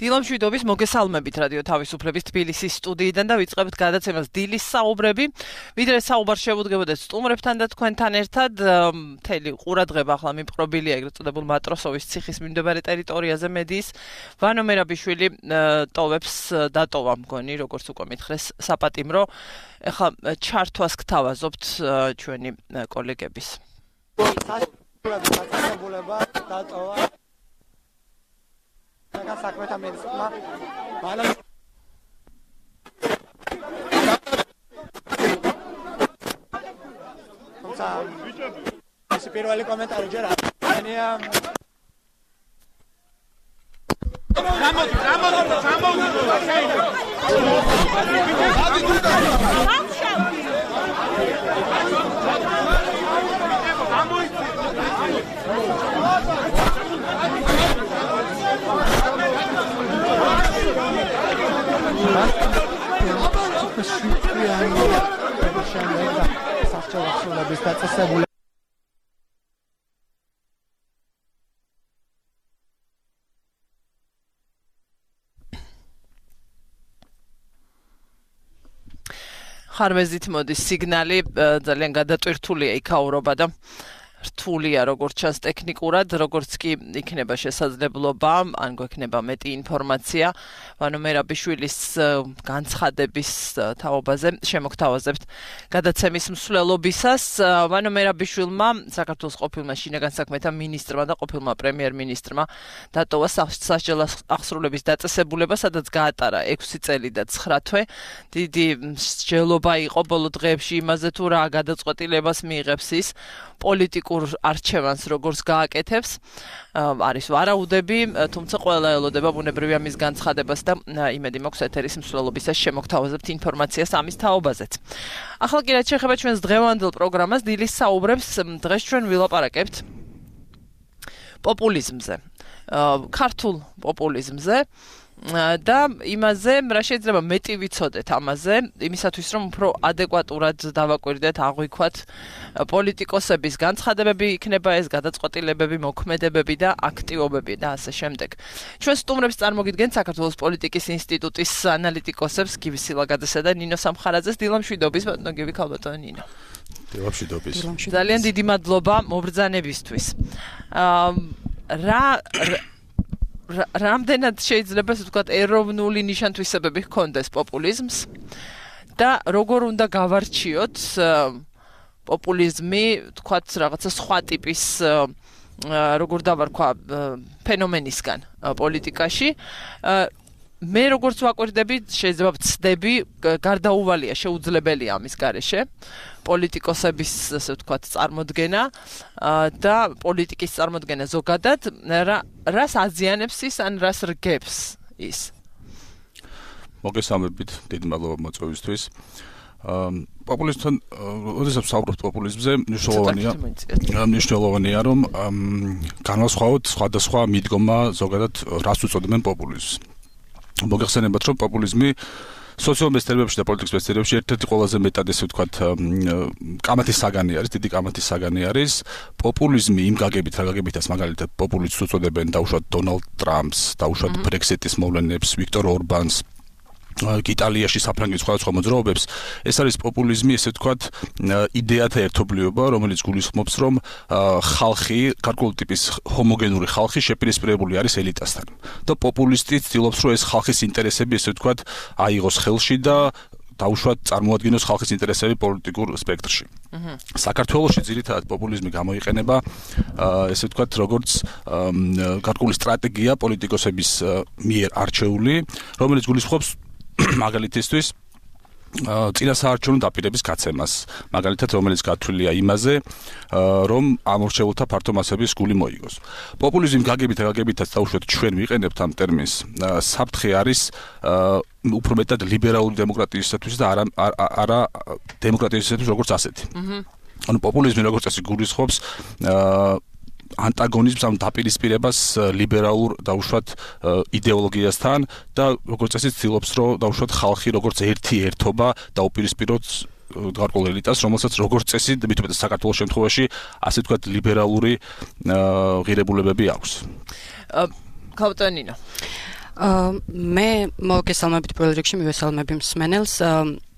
დილამშვიდობის მოგესალმებით რადიო თავისუფლების თბილისის სტუდიიდან და ვიწყებთ გადაცემას დილის საუბრები. ვიდრე საუბარ შევუდგებოდეს სტუმრებთან და თქვენთან ერთად მთელი ყურადღება ახლა მიპყრობილია ეგრეთ წოდებულ მატროსოვის ციხის მიმდებარე ტერიტორიაზე მედიის ვანო მერაბიშვილი ტოვებს დატოვა მგონი როგორც უკვე მითხრეს საპატიმრო. ახლა ჩართვას გთავაზობთ ჩვენი კოლეგების. საქმეთა მინისტრმა ეს პირველი კომენტარი ჯერ არია ხარვეზით მოდის სიგნალი ძალიან გადატვირთულია იქაურობა და რთულია როგორც ჩანს ტექნიკურად, როგორც კი იქნება შესაძლებლობა, ან გვექნება მეტი ინფორმაცია ვანო მერაბიშვილის განცხადების თაობაზე შემოგთავაზებთ გადაცემის მსვლელობისას. ვანო მერაბიშვილმა საქართველოს ყოფილმა შინაგან საქმეთა მინისტრმა და ყოფილმა პრემიერ-მინისტრმა დატოვა სასჯელ აღსრულების დაწესებულება, სადაც გაატარა 6 წელი და 9 თვე. დიდი მსჯელობა იყო ბოლო დღეებში იმაზე თუ რა გადაწყვეტილებას მიიღებს ის პოლიტიკურ არჩევანს როგორც გააკეთებს. არის ვარაუდები, თუმცა ყველა ელოდება ბუნებრივია მის განცხადებას და იმედი მაქვს ეთერის მსვლელობისას შემოგთავაზებთ ინფორმაციას ამის თაობაზეც. ახლა კი რაც შეეხება ჩვენს დღევანდელ პროგრამას, დილის საუბრებს, დღეს ჩვენ ვილაპარაკებთ პოპულიზმზე. ქართულ პოპულიზმზე. და იმაზე რა შეიძლება მეტი ვიცოდეთ ამაზე, იმისათვის რომ უფრო ადეკვატურად დავაკვირდეთ, აღვიქვათ პოლიტიკოსების განცხადებები, იქნება ეს გადაწყვეტილებები, მოქმედებები და აქტივობები და ასე შემდეგ. ჩვენ სტუმრებს წარმოგიდგენთ საქართველოს პოლიტიკის ინსტიტუტის ანალიტიკოსებს გივი სილაგაძესა და ნინო სამხარაძეს. დილამშვიდობის, ბატონო გივი, ქალბატონო ნინო. დილამშვიდობის. ძალიან დიდი მადლობა მობრძანებისთვის. რამდენად შეიძლება ასე ვთქვათ ეროვნული ნიშან-თვისებები ჰქონდეს პოპულიზმს და როგორ უნდა გავარჩიოთ პოპულიზმი, ვთქვათ, რაღაცა სხვა ტიპის როგორ დავარქვა ფენომენისგან პოლიტიკაში. მე როგორც ვაკვირდები, შეიძლება ვცდები, გარდაუვალია შეუძლებელია ამის გარეშე პოლიტიკოსების, ასე ვთქვათ, წარმოდგენა და პოლიტიკის წარმოდგენა ზოგადად, რას აზიანებს ის, ან რას რგებს ის. მოგესალმებით, დიდი მადლობა მოწვევისთვის. პოპულიზმთან, როდესაც ვსაუბრობთ პოპულიზმზე, მნიშვნელოვანია, რომ განვასხვაოთ სხვადასხვა მიდგომა ზოგადად რას უწოდებენ პოპულიზმს. მოგეხსენებათ, რომ პოპულიზმი სოციალურ მეცნიერებებში და პოლიტიკის მეცნიერებებში ერთ-ერთი ყველაზე მეტად ესე ვთქვათ კამათის საგანი არის, დიდი კამათის საგანი არის. პოპულიზმი იმ გაგებით, რა გაგებითაც მაგალითად პოპულისტს უწოდებენ დაუშვათ დონალდ ტრამპს, დაუშვათ ბრექსიტის მოვლენებს, ვიქტორ ორბანს, იტალიაში საფრანგეთის სხვადასხვა მოძრაობებს. ეს არის პოპულიზმი, ესე ვთქვათ, იდეათა ერთობლიობა, რომელიც გულისხმობს, რომ ხალხი, გარკვეული ტიპის ჰომოგენური ხალხი შეპირისპირებული არის ელიტასთან. და პოპულისტი ცდილობს, რომ ეს ხალხის ინტერესები, ესე ვთქვათ, აიღოს ხელში და დაუშვათ წარმოადგინოს ხალხის ინტერესები პოლიტიკურ სპექტრში. საქართველოში ძირითადად პოპულიზმი გამოიყენება, ესე ვთქვათ, როგორც გარკვეული სტრატეგია პოლიტიკოსების მიერ არჩეული, რომელიც გულისხმობს მაგალითისთვის წინასაარჩევნო დაპირების გაცემას, მაგალითად რომელიც გათვლილია იმაზე, რომ ამორჩეულთა ფართო მასების გული მოიგოს. პოპულიზმი გაგებითაც დაუშვათ ჩვენ ვიყენებთ ამ ტერმინს. საფრთხე არის უფრო მეტად ლიბერალური დემოკრატიისათვის და არა დემოკრატიისათვის როგორც ასეთი. ანუ პოპულიზმი როგორც წესი გულისხმობს ანტაგონიზმს, ამ დაპირისპირებას ლიბერალურ დაუშვათ იდეოლოგიასთან და როგორც წესი ცდილობს, რომ დაუშვათ ხალხი როგორც ერთი ერთობა დაუპირისპიროს გარკვეულ ელიტას, რომელსაც როგორც წესი, მithumetes საქართველოს შემთხვევაში, ასე ვთქვათ, ლიბერალური ღირებულებები აქვს. ქალბატონო ნინო. მე მოგესალმებით პირველ რიგში მივესალმები მსმენელს.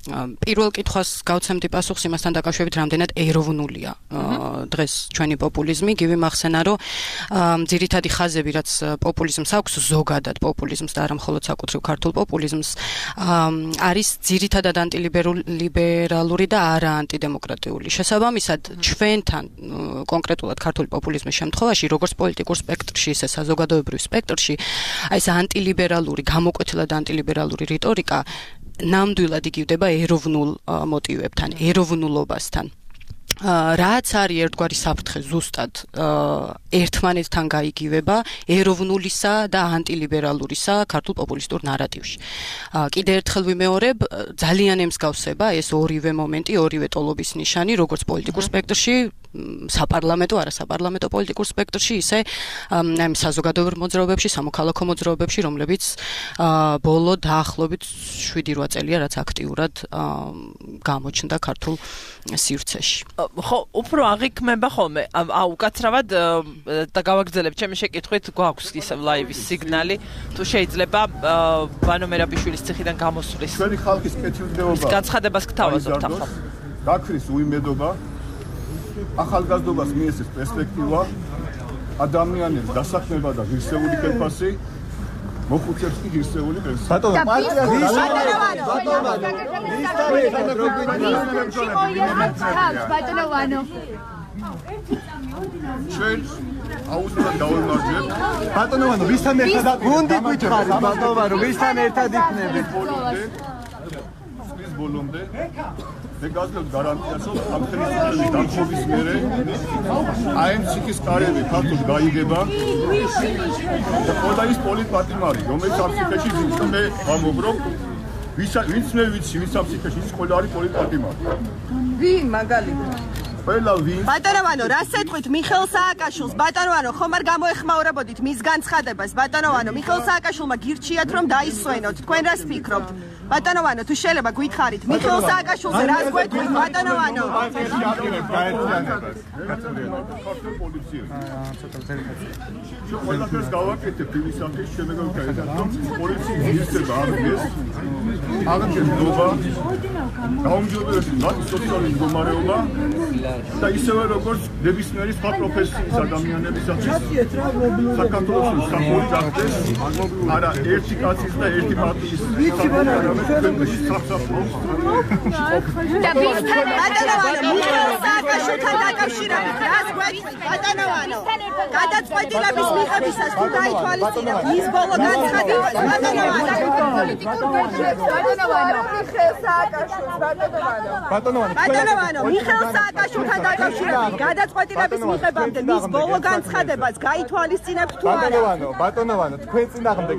პირველ კითხვას გავცემდი პასუხს იმასთან დაკავშირებით, რამდენად ეროვნულია დღეს ჩვენი პოპულიზმი. გივი მახსენა, რომ ძირითადი ხაზები, რაც პოპულიზმს აქვს, ზოგადად პოპულიზმს და არა მხოლოდ საკუთრივ ქართულ პოპულიზმს, არის ძირითადად ანტილიბერალური და არა ანტიდემოკრატიული. შესაბამისად, ჩვენთან კონკრეტულად ქართული პოპულიზმის შემთხვევაში, როგორც პოლიტიკურ სპექტრში, ისე საზოგადოებრივ სპექტრში, აი ეს ანტილიბერალური, გამოკვეთილად ანტილიბერალური რიტორიკა ნამდვილად იგივდება ეროვნულ მოტივებთან, ეროვნულობასთან. რაც არის ერთგვარი საფრთხე ზუსტად ერთმანეთთან გაიგივება ეროვნულისა და ანტილიბერალურისა ქართულ პოპულისტურ ნარატივში. კიდევ ერთხელ ვიმეორებ, ძალიან ემსგავსება ეს ორივე მომენტი, ორივე ტოლობის ნიშანი, როგორც პოლიტიკურ სპექტრში, საპარლამენტო, არასაპარლამენტო პოლიტიკურ სპექტრში, ისე აი საზოგადოებრივ მოძრაობებში, სამოქალაქო მოძრაობებში, რომლებიც ბოლო დაახლოებით 7-8 წელია, რაც აქტიურად გამოჩნდა ქართულ სივრცეში. ხო, უფრო აღიქმება ხოლმე. უკაცრავად და გავაგრძელებ ჩემი შეკითხვით, გვაქვს ისევ ლაივის სიგნალი, თუ შეიძლება ბანო მერაბიშვილის ციხიდან გამოსვლის. ჩვენი ხალხის კეთილდღეობა. განცხადებას გთავაზობთ ახლა. გაქრის უიმედობა, ახალგაზრდობას მიესწრებს პერსპექტივა, ადამიანებს დასაქმება და ღირსეული ხელფასი, მოხუცებს კი ღირსეული პენსია. ჩვენ აუცილებლად დავემარჯვებთ. ბატონო ვანო, ვისთან ერთად გუნდი გითხარით, ბატონო ვანო, ვისთან ერთად იქნებით? სპის ბოლომდე მე გასაგებ გარანტიას, რომ ამ ხელისუფლების დამხობის მერე აი ამ ციხის კარები ქართულად გაიგება და ყველა ის პოლიტპატრიმარი, რომელიც ამ ციხეში ძინს, მე ვამობრობ, ვინც მე ვიცი, ვინც ამ ციხეში ის ყველა არის პოლიტპატრიმარი. ვინ მაგალითად? ყველა ვინ? ბატონო ვანო, რა სეტყვით მიხეილ სააკაშვილს? ბატონო ვანო, ხომ არ გამოეხმაურებოდით მის განცხადებას? ბატონო ვანო, მიხეილ სააკაშვილმა გირჩიათ, რომ დაისვენოთ. თქვენ რას ფიქრობთ? ბატონო ვანო, თუ შეიძლება გითხარით, მიხეილ სააკაშვილზე რას გვეთქვით, ბატონო ვანო? ქართულ პოლიციას. ყველაფერს გავაკეთებ იმის სამის შემეგობრებთან, რომ პოლიციის ღირსება აღდგეს. აღდგენობა, გაუმჯობესება მათი სოციალური მდგომარეობა და ისევე როგორც ნებისმიერი სხვა პროფესიის ადამიანებისათვის საქართველოს საფუძველი გახდეს არა ერთი კაცის და ერთი პარტიის სააკაშვილთან დაკავშირებით რას გვეთქვით, ბატონო ვანო? გადაწყვეტილების მიღებისას თუ დაითვალისწინებთ მის ბოლო განცხადებას, ბატონო ვანო? ბატონო ვანო, მიხეილ სააკაშვილთან დაკავშირებით გადაწყვეტილების მიღებამდე მის ბოლო განცხადებას გაითვალისწინებთ თუ არა? ბატონო ვანო, თქვენ წინააღმდეგ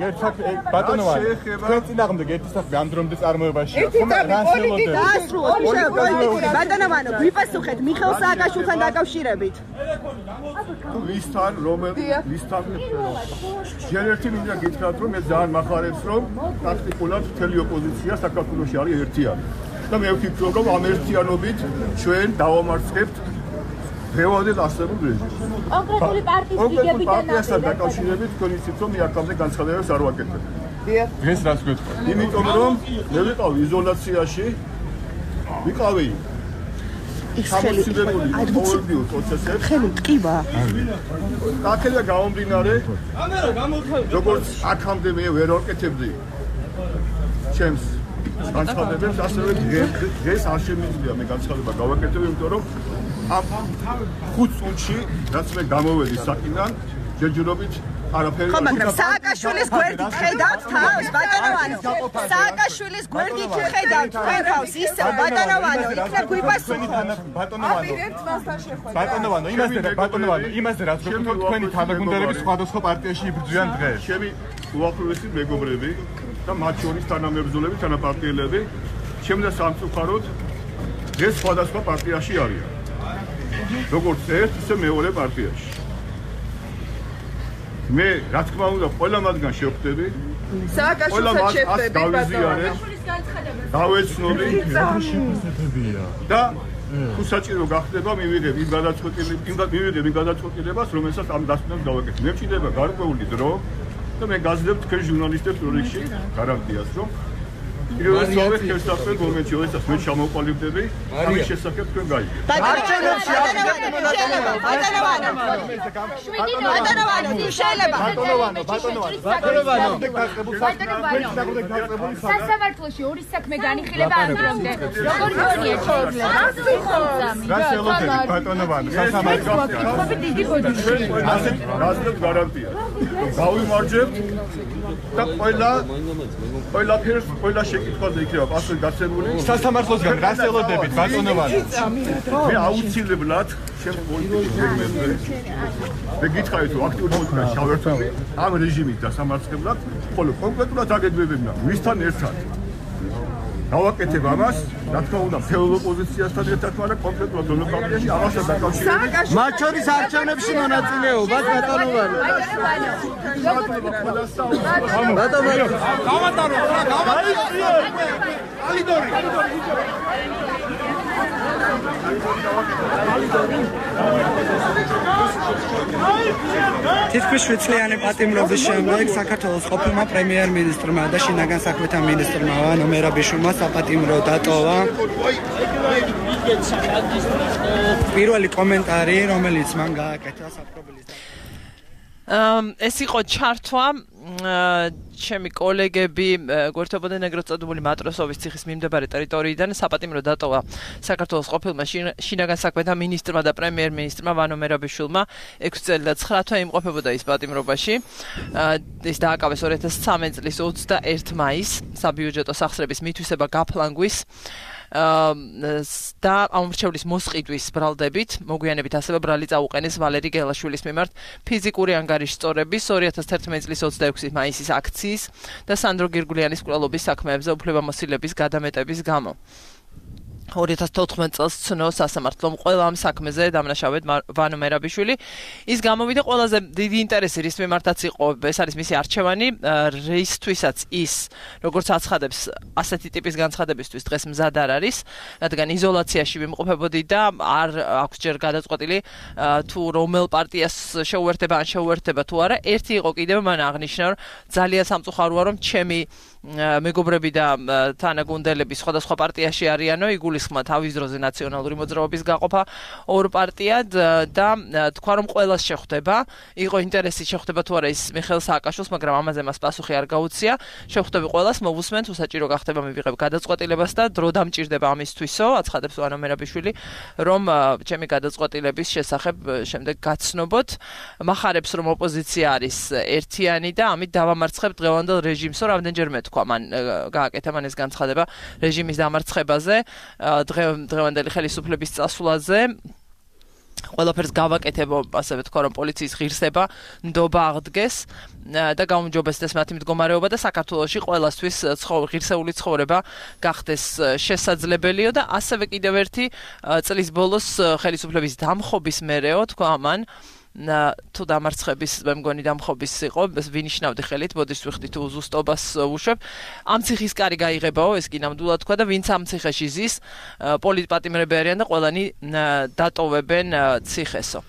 ბატონო ვანო, თქვენ წინააღმდეგ ერთი საქმე ამ დრომდე წარმოებაში ბატონო ვანო, გვიპასუხეთ მიხეილ სააკაშვილთან დაკავშირებით. ვისთან ჯერ ერთი მინდა გითხრათ, რომ მე ძალიან მახარებს, რომ პრაქტიკულად მთელი ოპოზიცია საქართველოში არის ერთიანი. და მე ვფიქრობ, რომ ამ ერთიანობით ჩვენ დავამარცხებთ ფეოდალურ არსებულ რეჟიმს. კონკრეტული პარტიის ლიდერებთან პარტიასთან დაკავშირებით თქვენ იცით, რომ მე აქამდე განცხადებებს არ ვაკეთებ. დღეს რას გვეთქვით? იმიტომ რომ მე ვიყავი იზოლაციაში, ვიყავი სამოცილებული ყოველდღიურ პროცესებს. ხელი ტკივა. აქედან გამომდინარე, როგორც აქამდე მე ვერ ვაკეთებდი ჩემს განცხადებებს, ასევე დღეს არ შემიძლია მე განცხადება გავაკეთებ, იმიტომ რომ ამ 5 წუთში, რაც მე გამოვედი საკიდან, ჯერჯერობით არაფერი. ხო, მაგრამ სააკაშვილის გვერდით ხედავთ თავს, ბატონო ვანო. სააკაშვილის გვერდით ხედავთ თავს, ისევ ბატონო ვანო, იქნებ გვიპასუხოთ. ბატონო ვანო, იმასე რაც გვქონთ თქვენი თანაგუნდელები სხვადასხვა პარტიაში იბრძვიან დღეს. ჩემი უახლოესი მეგობრები და მათ შორის თანამებრძოლები, თანაპარტიელები, შემდა სამწუხაროდ დღეს სხვადასხვა პარტიაში არიან. როგორც ერთ, ისე მეორე პარტიაში. მე რა თქმა უნდა ყველა მათგან შევხვდები. სააკაშვილსაც შევხვდები, ბატონო. დავეცნობი და თუ საჭირო გახდება მივიღებ იმ გადაწყვეტილებას, რომელსაც ამ დასკვნებს გავაკეთებ. მე მჭირდება გარკვეული დრო და მე გაძლევ თქვენ ჟურნალისტებს პროექტში გარანტიას, რომ პირველად ხელსაყრელ მომენტში, როდესაც მე ჩამოყალიბდები, ამის შესახებ თქვენ გაიგებთ. სასამართლოში ორი საქმე განიხილება ამ დრომდე. როგორ გონია შეიძლება? ბატონოვანი, სასამართლოში. დიდი გოდიში. გაძლევ გარანტია. გავიმარჯვებთ და ყველა შეკითხვაზე იქნება პასუხი გაცემული. სასამართლოსგან რას ელოდებით, ბატონოვანი? მე აუცილებლად ჩემ პოლიტიკურ გეგმებზე მე გითხარით, რომ აქტიური პოლიტიკა შავერთული ამ რეჟიმით დასამარცხებლად, ხოლო კონკრეტულად აგებებებნა ვისთან ერთად გავაკეთებ ამას, რა თქმა უნდა, ფეოდალ ოპოზიციასთან ერთად, მაგრამ კონკრეტულად დემოკრატიაში ამასთან დაკავშირებით მათ შორის არჩევნებში მონაწილეობა ბატონოვანი. ბატონოვანი. გავატარო, ალიდორი. თითქმის 7 წლიანი პატიმრობის შემდეგ საქართველოს ყოფილმა პრემიერ-მინისტრმა და შინაგან საქმეთა მინისტრმა ვანო მერაბიშვილმა საპატიმრო დატოვა. პირველი კომენტარი, რომელიც მან გააკეთა საპრობილის ეს იყო ჩართვა ჩემი კოლეგები გვერდებოდნენ ეგრეთ წოდებული მატროსოვის ციხის მიმდებარე ტერიტორიიდან საპატიმრო დატოვა საქართველოს ყოფილმა შინაგან საქმეთა მინისტრმა და პრემიერ-მინისტრმა ვანო მერაბიშვილმა 6 წელი და 9 თვე იმყოფებოდა ის პატიმრობაში. ეს დააკავეს 2013 წლის 21 მაისს საბიუჯეტო სახსრების მითვისება გაფლანგვის და ამორჩევლის მოსყიდვის ბრალდებით მოგვიანებით ასევე ბრალი წაუყენეს ვალერი გელაშვილის მიმართ ფიზიკური ანგარიშსწორების 2011 წლის 26 მაისის აქციის და სანდრო გირგულიანის მკვლელობის საქმეებზე უფლებამოსილების გადამეტების გამო. 2014 წელს ცნო სასამართლომ ყველა ამ საქმეზე დამნაშავედ ვანო მერაბიშვილი. ის გამოვიდა ყველაზე დიდი ინტერესი რის მიმართაც იყო, ეს არის მისი არჩევანი, რისთვისაც ის როგორც აცხადებს ასეთი ტიპის განცხადებისთვის დღეს მზად არ არის, რადგან იზოლაციაში ვიმყოფებოდი და არ აქვს ჯერ გადაწყვეტილი თუ რომელ პარტიას შეუერთება ან შეუერთება თუ არა. ერთი იყო კიდევ მან აღნიშნა, რომ ძალიან სამწუხაროა, რომ ჩემი მეგობრები და თანაგუნდელები სხვადასხვა პარტიაში არიანო, იგულისხმა თავის დროზე ნაციონალური მოძრაობის გაყოფა ორ პარტიად და თქვა რომ ყველას შეხვდება, იყო ინტერესი შეხვდება თუ არა ის მიხეილ სააკაშვილს, მაგრამ ამაზე მას პასუხი არ გაუწია. შეხვდები ყველას, მოვუსმენთ, უსაჭირო გახდება მივიღებ გადაწყვეტილებას და დრო დამჭირდება ამისთვისო, აცხადებს ვანო მერაბიშვილი, რომ ჩემი გადაწყვეტილების შესახებ შემდეგ გაცნობოთ. მახარებს რომ ოპოზიცია არის ერთიანი და ამით დავამარცხებ დღევანდელ რეჟიმსო, რამდენჯერმე თქვა მან გააკეთა მან ეს განცხადება რეჟიმის დამარცხებაზე, დღევანდელი ხელისუფლების წასვლაზე. ყველაფერს გავაკეთებო, ასევე თქვა რომ პოლიციის ღირსება ნდობა აღდგეს და გაუმჯობესდეს მათი მდგომარეობა და საქართველოში ყველასთვის ღირსეული ცხოვრება გახდეს შესაძლებელიო და ასევე კიდევ ერთი წლის ბოლოს ხელისუფლების დამხობის მერეო თქვა მან თუ დამარცხების მე მგონი დამხობის იყო ვინიშნავდი ხელით ბოდიშს ვიხდი თუ ზუსტობას უშვებ ამ ციხის კარი გაიღებაო ეს კი ნამდვილად თქვა და ვინც ამ ციხეში ზის პოლიტპატიმრები არიან და ყველანი დატოვებენ ციხესო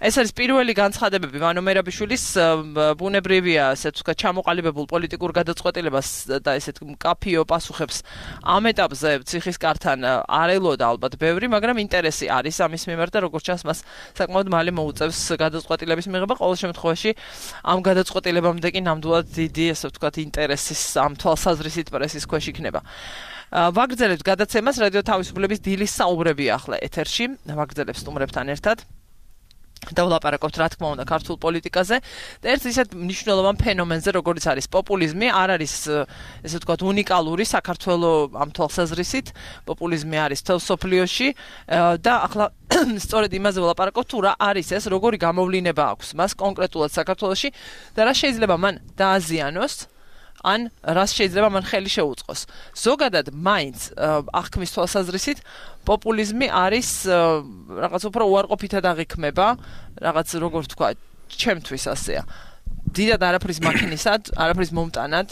ეს არის პირველი განცხადებები ვანო მერაბიშვილის ბუნებრივია ასე თქვა ჩამოყალიბებულ პოლიტიკურ გადაწყვეტილებას და ესეთ მკაფიო პასუხებს ამ ეტაპზე ციხის კართან არ ელოდა ალბათ ბევრი მაგრამ ინტერესი არის ამის მიმართ და როგორც ჩანს მას საკმაოდ მალე მოუწევს გადაწყვეტილების მიღება ყოველ შემთხვევაში ამ გადაწყვეტილებამდე კი ნამდვილად დიდი ასე ვთქვათ ინტერესის ამ თვალსაზრისით პრესის ქვეშ იქნება. ვაგრძელებთ გადაცემას რადიო თავისუფლების დილის საუბრები ახლა ეთერში ვაგრძელებთ სტუმრებთან ერთად და ვლაპარაკობთ რა თქმა უნდა ქართულ პოლიტიკაზე და ერთ ისეთ მნიშვნელოვან ფენომენზე როგორც არის პოპულიზმი არ არის ესე ვთქვათ უნიკალური საქართველოს ამ თვალსაზრისით პოპულიზმი არის თელ სოფლიოში და ახლა სწორედ იმაზე ვლაპარაკობთ თუ რა არის ეს როგორი გამოვლინება აქვს მას კონკრეტულად საქართველოში და რა შეიძლება მან დააზიანოს ან რას შეიძლება მან ხელი შეუწყოს. ზოგადად მაინც აღქმის თვალსაზრისით პოპულიზმი არის რაღაც უფრო უარყოფითად აღიქმება, რაღაც როგორ ვთქვა, ჩემთვის ასეა. დიდად არაფრის მაქინისად, არაფრის მომტანად,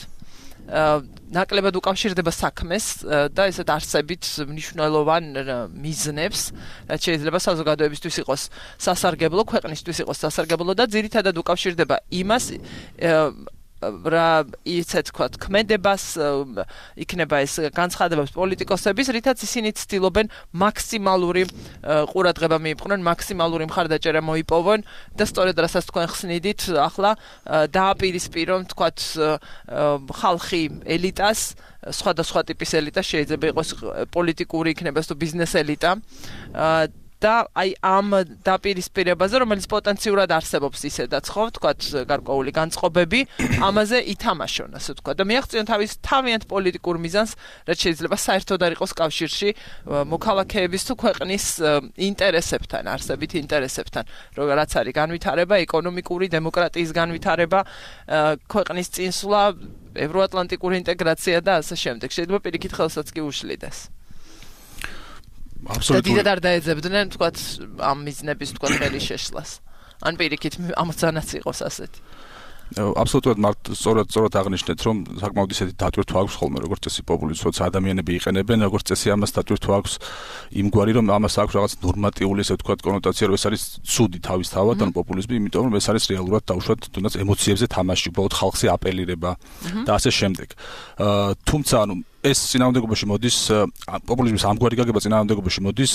ნაკლებად უკავშირდება საქმეს და ესეთ არსებით მნიშვნელოვან მიზნებს, რაც შეიძლება საზოგადოებისთვის იყოს სასარგებლო, ქვეყნისთვის იყოს სასარგებლო და ძირითადად უკავშირდება იმას რა ისე თქვა ქმედებას იქნება ეს განცხადებებს პოლიტიკოსების, რითაც ისინი ცდილობენ მაქსიმალური ყურადღება მიიპყრონ, მაქსიმალური მხარდაჭერა მოიპოვონ და სწორედ რასაც თქვენ ხსნიდით, ახლა დააპირისპირონ თქვა ხალხი ელიტას, სხვადასხვა ტიპის ელიტა, შეიძლება იყოს პოლიტიკური იქნება თუ ბიზნეს ელიტა და აი ამ დაპირისპირებაზე, რომელიც პოტენციურად არსებობს ისედაც, ხო, თქვათ, გარკვეული განწყობები, ამაზე ითამაშონ, ასე ვთქვა და მიაღწიონ თავის თავიანთ პოლიტიკურ მიზანს, რაც შეიძლება საერთოდ არ იყოს კავშირში მოქალაქეების თუ ქვეყნის ინტერესებთან, არსებით ინტერესებთან, რაც არის განვითარება, ეკონომიკური, დემოკრატიის განვითარება, ქვეყნის წინსვლა, ევროატლანტიკური ინტეგრაცია და ასე შემდეგ. შეიძლება პირიქით ხელსაც კი უშლიდეს. აბსოლუტურად. და დიდად არ დაეძებდნენ, თქვათ, ამ მიზნების, თქვათ, ხელი შეშლას. ან პირიქით ამოცანაც იყოს ასეთი. აბსოლუტურად სწორად აღნიშნეთ, რომ საკმაოდ ისეთი დატვირთვა აქვს ხოლმე, როგორც წესი პოპულიზმს, როცა ადამიანები იყენებენ, როგორც წესი ამას დატვირთვა აქვს იმგვარი, რომ ამას აქვს რაღაც ნორმატიული, ესე ვთქვათ, კონოტაცია, რომ ეს არის ცუდი თავისთავად, ან პოპულიზმი, იმიტომ რომ ეს არის რეალურად დაუშვათ თუნდაც ემოციებზე თამაში, უბრალოდ ხალხზე აპელირება და ასე შემდეგ. თუმცა, ანუ ეს წინააღმდეგობაში მოდის, პოპულიზმის ამგვარი გაგება წინააღმდეგობაში მოდის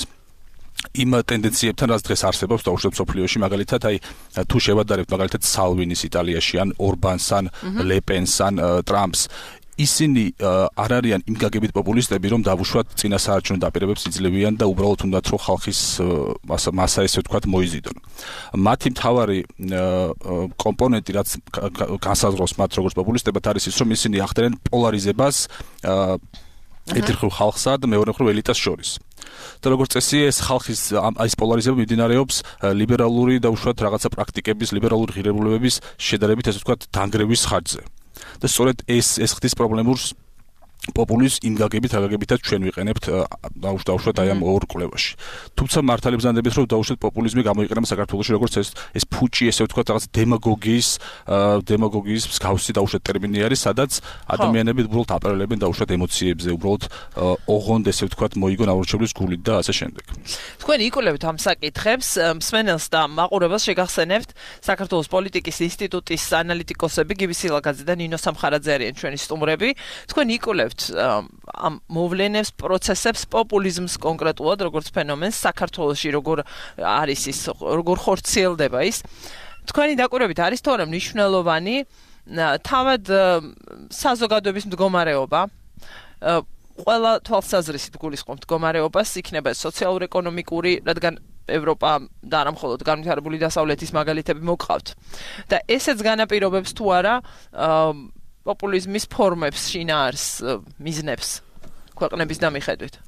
იმ ტენდენციებთან, რაც დღეს არსებობს დაუშვათ სოფლიოში, მაგალითად, აი თუ შევადარებთ მაგალითად სალვინის იტალიაში, ან ორბანს, ან ლეპენს, ან ტრამპს, ისინი არ არიან იმ გაგებით პოპულისტები, რომ დავუშვათ წინასაარჩევნო დაპირებებს იძლევიან და უბრალოდ უნდათ რომ ხალხის მასა ესე ვთქვათ მოიზიდონ. მათი მთავარი კომპონენტი, რაც განსაზღვრავს მათ როგორც პოპულისტებად, არის ის, რომ ისინი ახდენენ პოლარიზებას ერთი მხრივ ხალხსა და მეორე მხრივ ელიტას შორის. და როგორც წესი ეს ხალხის ეს პოლარიზება მიმდინარეობს ლიბერალური და უშუალოდ რაღაცა პრაქტიკების, ლიბერალური ღირებულებების შედარებით ესე ვთქვათ დანგრევის ხარჯზე. და სწორედ ეს ხდის პრობლემურს პოპულიზმს იმ გაგებითაც ჩვენ ვიყენებთ დაუშვათ აი ამ ორ კვლევაში. თუმცა მართალი ბრძანდებით რომ დაუშვათ პოპულიზმი გამოიყენება საქართველოში როგორც ეს ფუჭი ესე ვთქვათ რაღაც დემაგოგიის მსგავსი დაუშვათ ტერმინი არის, სადაც ადამიანები უბრალოდ აპელირებენ დაუშვათ ემოციებზე, უბრალოდ ოღონდ ესე ვთქვათ მოიგონ აურჩევლის გულით და ასე შემდეგ. თქვენ იკვლევთ ამ საკითხებს, მსმენელს და მაყურებელს შეგახსენებთ საქართველოს პოლიტიკის ინსტიტუტის ანალიტიკოსები გივი სილაგაძე და ნინო სამხარაძე არიან ჩვენი სტუმრები. თქვენ იკვლევთ ამ მოვლენებს, პროცესებს, პოპულიზმს კონკრეტულად, როგორც ფენომენს საქართველოში როგორ არის ის, როგორ ხორციელდება ის. თქვენი დაკვირვებით არის თორემ მნიშვნელოვანი თავად საზოგადოების მდგომარეობა, ყველა თვალსაზრისით გულისხმობ მდგომარეობას, იქნება სოციალურ-ეკონომიკური, რადგან ევროპა და არა მხოლოდ განვითარებული დასავლეთის მაგალითები მოგყავთ. და ესეც განაპირობებს თუ არა პოპულიზმის ფორმებს, შინაარს, მიზნებს ქვეყნების დამიხედვით.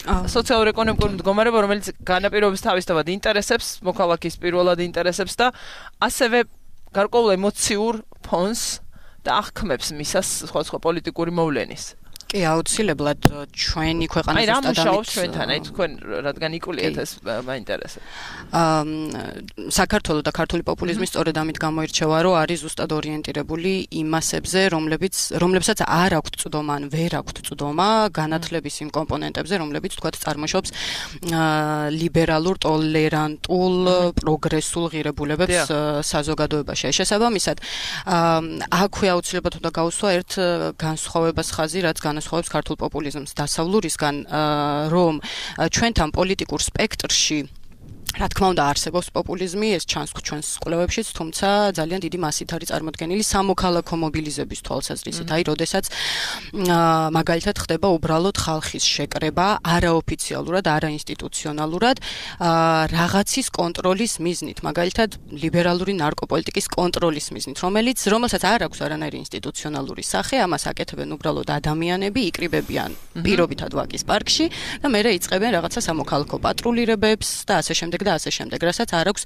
სოციალურ-ეკონომიკური მდგომარეობა, რომელიც განაპირობებს თავისთავად ინტერესებს, მოქალაქის პირველად ინტერესებს და ასევე გარკვეულ ემოციურ ფონს და აღქმებს მისას სხვა პოლიტიკური მოვლენის. კი, აუცილებლად ჩვენი ქვეყანა ზუსტად ამით. აი, რა მუშაობს ჩვენთან, აი თქვენ რადგან იკვლევთ ეს მაინტერესებს. საქართველოს და ქართული პოპულიზმი სწორედ ამით გამოირჩევა, რომ არის ზუსტად ორიენტირებული იმასებზე, რომლებსაც არ აქვთ წვდომა, ან ვერ აქვთ წვდომა განათლების იმ კომპონენტებზე, რომლებიც თქვათ წარმოშობს ლიბერალურ, ტოლერანტულ, პროგრესულ ღირებულებებს საზოგადოებაში. შესაბამისად, აქვე აუცილებლად უნდა გავუსვა ერთ განსხვავებას ხაზი, რაც განასხვავებს ქართულ პოპულიზმს დასავლურისგან, რომ ჩვენთან პოლიტიკურ სპექტრში რა თქმა უნდა არსებობს პოპულიზმი, ეს ჩანს ჩვენს კვლევებშიც, თუმცა ძალიან დიდი მასით არის წარმოდგენილი სამოქალაქო მობილიზების თვალსაზრისით. აი, როდესაც მაგალითად ხდება უბრალოდ ხალხის შეკრება არაოფიციალურად, არაინსტიტუციონალურად რაღაცის კონტროლის მიზნით, მაგალითად ლიბერალური ნარკოპოლიტიკის კონტროლის მიზნით, რომელსაც არ აქვს არანაირი ინსტიტუციონალური სახე, ამას აკეთებენ უბრალოდ ადამიანები, იკრიბებიან პირობითად ვაკის პარკში და მერე იწყებენ რაღაცა სამოქალაქო პატრულირებებს და ასე შემდეგ. და ასე შემდეგ, რასაც არ აქვს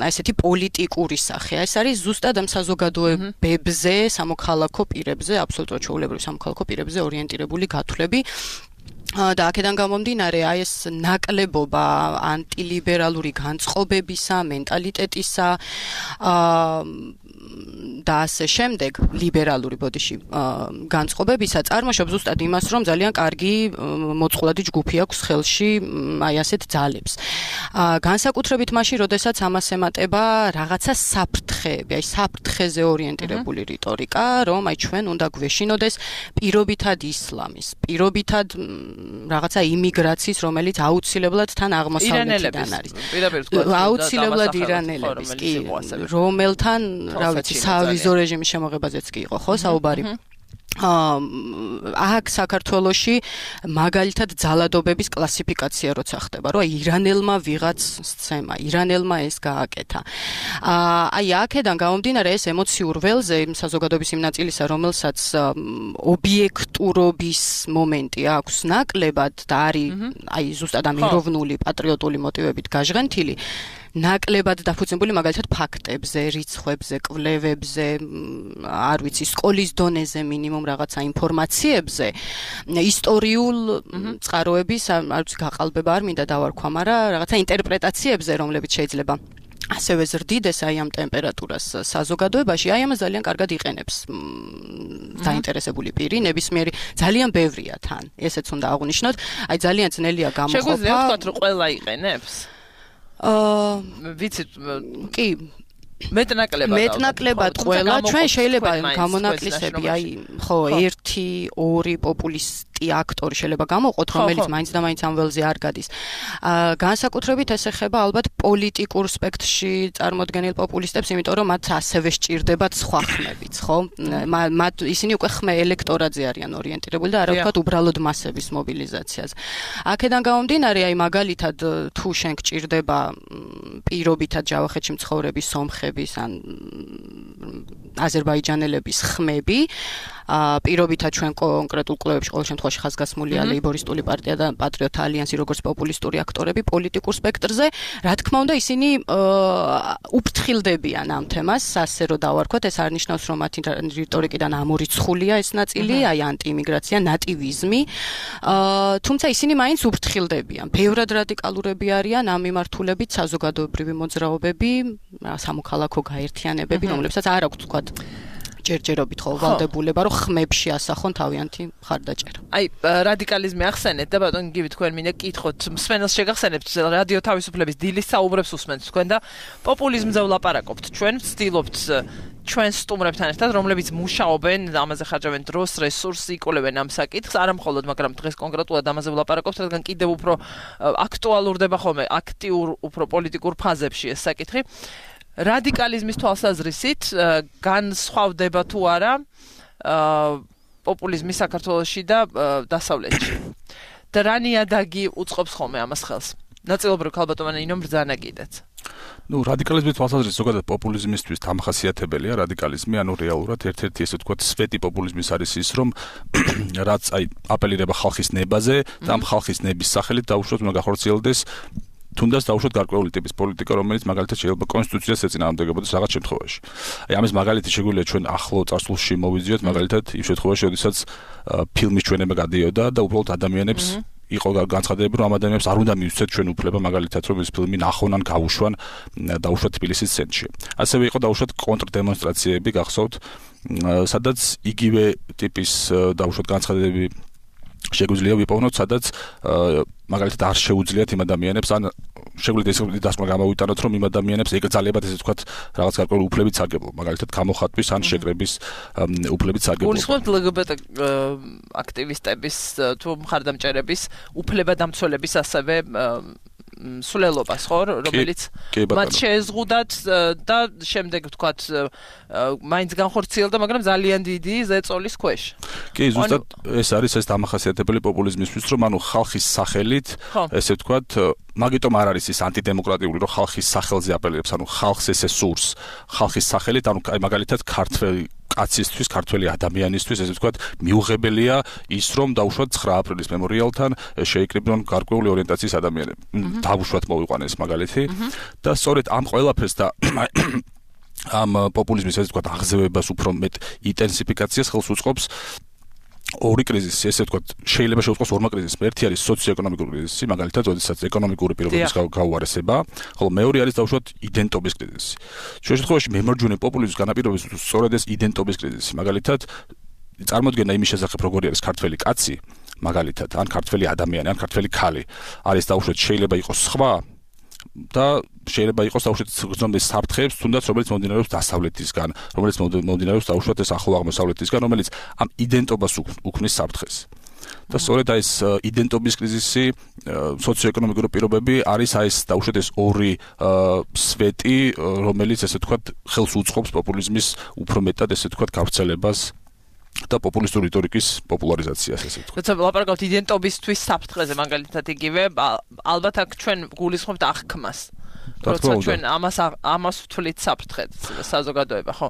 ესეთი პოლიტიკური სახე. ეს არის ზუსტად ამ საზოგადოებებზე, სამოქალაქო პირებზე, აბსოლუტურად ჩვეულებრივ სამოქალაქო პირებზე ორიენტირებული გათვლები. და აქედან გამომდინარე, აი ეს ნაკლებობა ანტილიბერალური განწყობებისა, მენტალიტეტისა, და ასე შემდეგ ლიბერალური ბოდიში განწყობებისა წარმოშობს ზუსტად იმას, რომ ძალიან კარგი მოწყვლადი ჯგუფი აქვს ხელში აი ასეთ ძალებს. განსაკუთრებით მაშინ, როდესაც ამას ემატება რაღაცა საფრთხეები, აი საფრთხეზე ორიენტირებული რიტორიკა, რომ აი ჩვენ უნდა გვეშინოდეს პირობითად ისლამის, პირობითად რაღაცა იმიგრაციის, რომელიც აუცილებლად თან აღმოსავლეთიდან არის. აუცილებლად ირანელების, კი, რომელთან, რა ვიცი, სავიზო რეჟიმის შემოღებაზეც კი იყო, ხო, საუბარი. აქ საქართველოში მაგალითად ძალადობების კლასიფიკაცია როცა ხდება, რომ ირანელმა ვიღაც სცემა, ირანელმა ეს გააკეთა. აი აქედან გამომდინარე ეს ემოციურ ველზე საზოგადოების იმ ნაწილისა, რომელსაც ობიექტურობის მომენტი აქვს ნაკლებად და არის აი ზუსტად ამ ეროვნული პატრიოტული მოტივებით გაჟღენთილი, ნაკლებად დაფუძნებული მაგალითად ფაქტებზე, რიცხვებზე, კვლევებზე, არ ვიცი, სკოლის დონეზე მინიმუმ რაღაცა ინფორმაციებზე, ისტორიულ წყაროების, არ ვიცი, გაყალბება არ მინდა დავარქვა, მაგრამ რაღაცა ინტერპრეტაციებზე, რომლებიც შეიძლება ასევე ზრდიდეს აი ამ ტემპერატურას საზოგადოებაში, აი ამას ძალიან კარგად იყენებს დაინტერესებული პირი, ნებისმიერი, ძალიან ბევრია თან, ესეც უნდა აღვნიშნოთ, აი ძალიან ძნელია გამოყოფა. შეგვიძლია ვთქვათ, რომ ყველა იყენებს? ვიცით, კი, მეტნაკლებად ყველა ჩვენ შეიძლება გამონაკლისები, აი, ხო, 1-2 პოპულისტი აქტორი შეიძლება გამოვყოთ, რომელიც მაინც და მაინც ამ ველზე არ გადის. განსაკუთრებით ეს ეხება ალბათ პოლიტიკურ სპექტრში წარმოდგენილ პოპულისტებს, იმიტომ რომ მათ ასევე სჭირდებათ სხვა ხმებიც, ხო? მათ ისინი უკვე ხმე ელექტორატზე არიან ორიენტირებული და არა ვთქვათ უბრალოდ მასების მობილიზაციაზე. აქედან გამომდინარე, აი მაგალითად თუ შენ გჭირდება პირობითად ჯავახეთში მცხოვრების სომხების ან აზერბაიჯანელების ხმები, პირობითად ჩვენ კონკრეტულ კვლევებში ყოველ შემთხვევაში ხაზგასმულია ლეიბორისტული პარტია და პატრიოტთა ალიანსი როგორც პოპულისტური აქტორები პოლიტიკურ სპექტრზე, რა თქმა უნდა ისინი უფრთხილდებიან ამ თემას, ასე რომ დავარქვათ, ეს არ ნიშნავს რომ მათი რიტორიკიდან ამორიცხულია ეს ნაწილი, აი ანტიიმიგრაცია, ნატივიზმი, თუმცა ისინი მაინც უფრთხილდებიან. ბევრად რადიკალურები არიან ამ მიმართულებით საზოგადოებრივი მოძრაობები, სამოქალაქო გაერთიანებები, რომლებსაც არ აქვს თქვათ ჯერჯერობით ხო ვალდებულება, რომ ხმებში ასახონ თავიანთი მხარდაჭერა. აი, რადიკალიზმი ახსენეთ და ბატონო გივით თქვენ მინდა კითხოთ, მსმენელს შეგახსენებთ რადიო თავისუფლების დილის საუბრებს უსმენთ თქვენ და პოპულიზმზე ვლაპარაკობთ. ჩვენ ვცდილობთ ჩვენ სტუმრებთან ერთად, რომლებიც მუშაობენ, ამაზე ხარჯავენ დროს, რესურსს, იკვლევენ ამ საკითხს, არა მხოლოდ, მაგრამ დღეს კონკრეტულად ამაზე ვლაპარაკობთ, რადგან კიდევ უფრო აქტუალურდება ხოლმე აქტიურ, უფრო პოლიტიკურ ფაზებში ეს საკითხი. რადიკალიზმის თვალსაზრისით განსხვავდება თუ არა პოპულიზმი საქართველოში და დასავლეთში. და რა ნიადაგი უწყობს ხოლმე ამას ხელს? ნაწილობრივ ქალბატონმა ინომ ბრძანა კიდეც. ნუ რადიკალიზმის თვალსაზრისით ზოგადად პოპულიზმისთვის დამახასიათებელია რადიკალიზმი, ანუ რეალურად ერთ-ერთი ესე ვთქვათ სვეტი პოპულიზმის არის ის, რომ რაც აი აპელირება ხალხის ნებაზე და ამ ხალხის ნების სახელით დაუშვათ უნდა გახორციელდეს თუნდაც დაუშვათ გარკვეული ტიპის პოლიტიკა, რომელიც მაგალითად შეიძლება კონსტიტუციას ეწინააღმდეგებოდეს რაღაც შემთხვევაში. აი ამის მაგალითი შეგვიძლია ჩვენ ახლო წარსულში მოვიზიოთ, მაგალითად იმ შემთხვევაში, როდესაც ფილმის ჩვენება გადიოდა და უბრალოდ ადამიანებს იყო განცხადებები, რომ ამ ადამიანებს არ უნდა მიუცეთ ჩვენ უფლება მაგალითად, რომ ეს ფილმი ნახონ ან გაუშვან დაუშვათ თბილისის ცენტრში. ასევე იყო დაუშვათ კონტრდემონსტრაციები, გახსოვთ, სადაც იგივე ტიპის დაუშვათ განცხადებები შეგვიძლია ვიპოვნოთ, სადაც მაგალითად არ შეუძლიათ იმ ადამიანებს ან შეგვიძლია ეს დასკვნა გამოვიტანოთ, რომ იმ ადამიანებს ეკრძალებათ ესე ვთქვათ რაღაც გარკვეული უფლებიც სარგებლო, მაგალითად გამოხატვის ან შეკრების უფლებიც სარგებლო. გულისხმობთ LGBT აქტივისტების თუ მხარდამჭერების უფლებადამცველების ასევე სულელობას, ხო, რომელიც მათ შეეზღუდათ და შემდეგ ვთქვათ მაინც განხორციელდა, მაგრამ ძალიან დიდი ზეწოლის ქვეშ. კი, ზუსტად ეს არის ეს დამახასიათებელი პოპულიზმისთვის, რომ ანუ ხალხის სახელით, ესე ვთქვათ, მაგიტომ არ არის ის ანტიდემოკრატიული, რომ ხალხის სახელზე აპელირებს, ანუ ხალხს ესე სურს, ხალხის სახელით, ანუ აი მაგალითად ქართველი კაცისთვის, ქართველი ადამიანისთვის, ესე ვთქვათ, მიუღებელია ის, რომ დაუშვათ 9 აპრილის მემორიალთან შეიკრიბნონ გარკვეული ორიენტაციის ადამიანები. დაუშვათ მოვიყვანეს მაგალითი და სწორედ ამ ყველაფერს და ამ პოპულიზმის ესე ვთქვათ აღზევებას უფრო მეტ ინტენსიფიკაციას ხელს უწყობს ორი კრიზისი, ესე ვთქვათ, შეიძლება შევწყოს ორმა კრიზისმა. ერთი არის სოციო-ეკონომიკური კრიზისი, მაგალითად, როდესაც ეკონომიკური პირობების გაუარესება, ხოლო მეორე არის დაუშვათ იდენტობის კრიზისი. ჩვენ შემთხვევაში მემარჯვენე პოპულიზმის განაპირობებს სწორედ ეს იდენტობის კრიზისი. მაგალითად, წარმოდგენა იმის შესახებ, როგორი არის ქართველი კაცი, მაგალითად, ან ქართველი ადამიანი, ან ქართველი ქალი, არის დაუშვათ შეიძლება იყოს სხვა და შეიძლება იყოს დაუშვათ გრძნობის საფრთხეებს, თუნდაც რომელიც მომდინარეობს დასავლეთისგან, რომელიც მომდინარეობს დაუშვათ ეს ახლო აღმოსავლეთისგან, რომელიც ამ იდენტობას უქმნის საფრთხეს. და სწორედ ეს იდენტობის კრიზისი, სოციო-ეკონომიკური პირობები არის ეს დაუშვათ ეს ორი სვეტი, რომელიც ესე ვთქვათ ხელს უწყობს პოპულიზმის უფრო მეტად ესე ვთქვათ გავრცელებას და პოპულისტური რიტორიკის პოპულარიზაციას ესე ვთქვათ. როცა ვლაპარაკობთ იდენტობისთვის საფრთხეზე, მაგალითად იგივე, ალბათ აქ ჩვენ გულისხმობთ აღქმას. როცა ჩვენ ამას ვთვლით საფრთხედ, საზოგადოება, ხო?